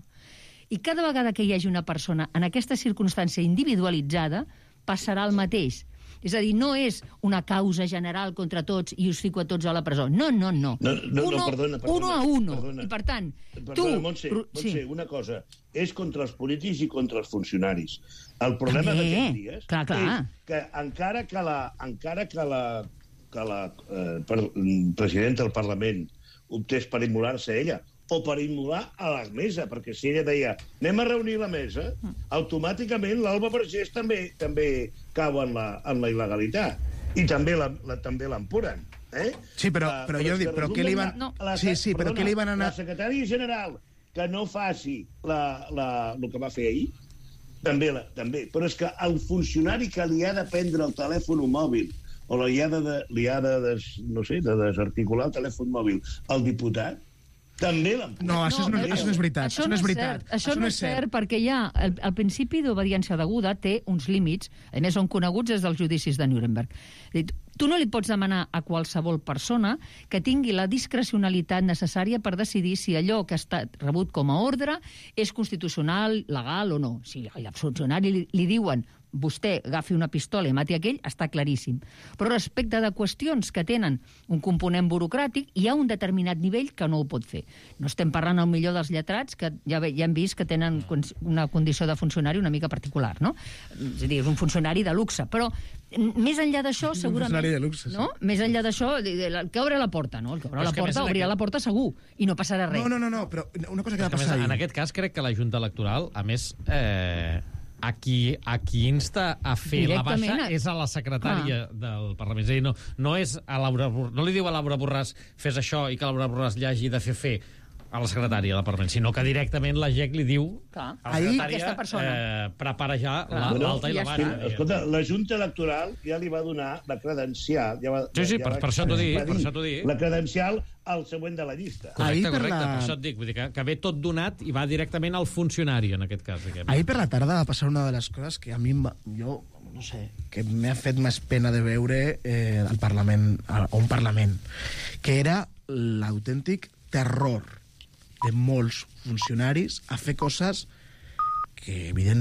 Speaker 7: I cada vegada que hi hagi una persona en aquesta circumstància individualitzada, passarà el mateix. És a dir, no és una causa general contra tots i us fico a tots a la presó. No, no, no.
Speaker 8: No, no,
Speaker 7: uno,
Speaker 8: no perdona, perdona.
Speaker 7: Uno a uno.
Speaker 8: Perdona.
Speaker 7: I, per tant,
Speaker 8: perdona,
Speaker 7: tu...
Speaker 8: Montse, Montse,
Speaker 7: sí.
Speaker 8: una cosa. És contra els polítics i contra els funcionaris. El problema d'aquests dies
Speaker 7: clar, clar.
Speaker 8: és que encara que la, encara que la, que la eh, per, presidenta del Parlament optés per immolar-se ella, o per immolar a la mesa, perquè si ella deia anem a reunir la mesa, automàticament l'Alba Vergés també també cau en la, en la il·legalitat. I també la, la, també l'empuren. Eh?
Speaker 6: Sí, però,
Speaker 8: uh,
Speaker 6: però, jo dic, però què li van...
Speaker 8: La, la,
Speaker 6: sí, sí, però
Speaker 8: perdona,
Speaker 6: què li van anar...
Speaker 8: La secretària general que no faci la, la, el que va fer ahir, també, la, també. Però és que el funcionari que li ha de prendre el telèfon mòbil o li ha de, li ha de, des, no sé, de desarticular el telèfon mòbil al diputat, també l'empuren.
Speaker 6: No, això, no, això no és veritat.
Speaker 7: Això,
Speaker 6: això no és veritat.
Speaker 7: Cert. Això, això no és cert, cert perquè ja el, el principi d'obediència deguda té uns límits, a més són coneguts des dels judicis de Nuremberg. Tu no li pots demanar a qualsevol persona que tingui la discrecionalitat necessària per decidir si allò que ha estat rebut com a ordre és constitucional, legal o no. Si al funcionari li, li diuen vostè agafi una pistola i mati aquell, està claríssim. Però respecte de qüestions que tenen un component burocràtic, hi ha un determinat nivell que no ho pot fer. No estem parlant al millor dels lletrats, que ja, ja hem vist que tenen una condició de funcionari una mica particular, no? És a dir, és un funcionari de luxe, però més enllà d'això, segurament...
Speaker 6: Un funcionari de luxe, sí.
Speaker 7: No? Més enllà d'això, el que obre la porta, no? El que obre la porta, obrirà la porta segur, i no passarà res.
Speaker 6: No, no, no, no, però una cosa que va passar
Speaker 2: ahir...
Speaker 6: ahir...
Speaker 2: En aquest cas, crec que la Junta Electoral, a més... Eh... A qui, a qui insta a fer la baixa és a la secretària ah. del Parlament. És a dir, no, no, és a Laura, no li diu a Laura Borràs fes això i que Laura Borràs li hagi de fer fer a la secretària del Parlament, sinó que directament la G E C li diu
Speaker 7: Clar.
Speaker 2: a la secretària eh, prepara ja l'alta la, i la baixa.
Speaker 8: Ja escolta, la Junta Electoral ja li va donar la credencial... Ja va,
Speaker 2: sí, sí,
Speaker 8: ja
Speaker 2: per, per, això t'ho dic, per això t'ho dic.
Speaker 8: La credencial al següent de la llista.
Speaker 2: Correcte, correcte, per, la... per això et dic. Vull dir que, que ve tot donat i va directament al funcionari, en aquest cas. Diguem.
Speaker 6: Ahir per la tarda va passar una de les coses que a mi, jo, no sé, que m'ha fet més pena de veure eh, al Parlament, a un Parlament, que era l'autèntic terror de molts funcionaris a fer coses que, evidentment,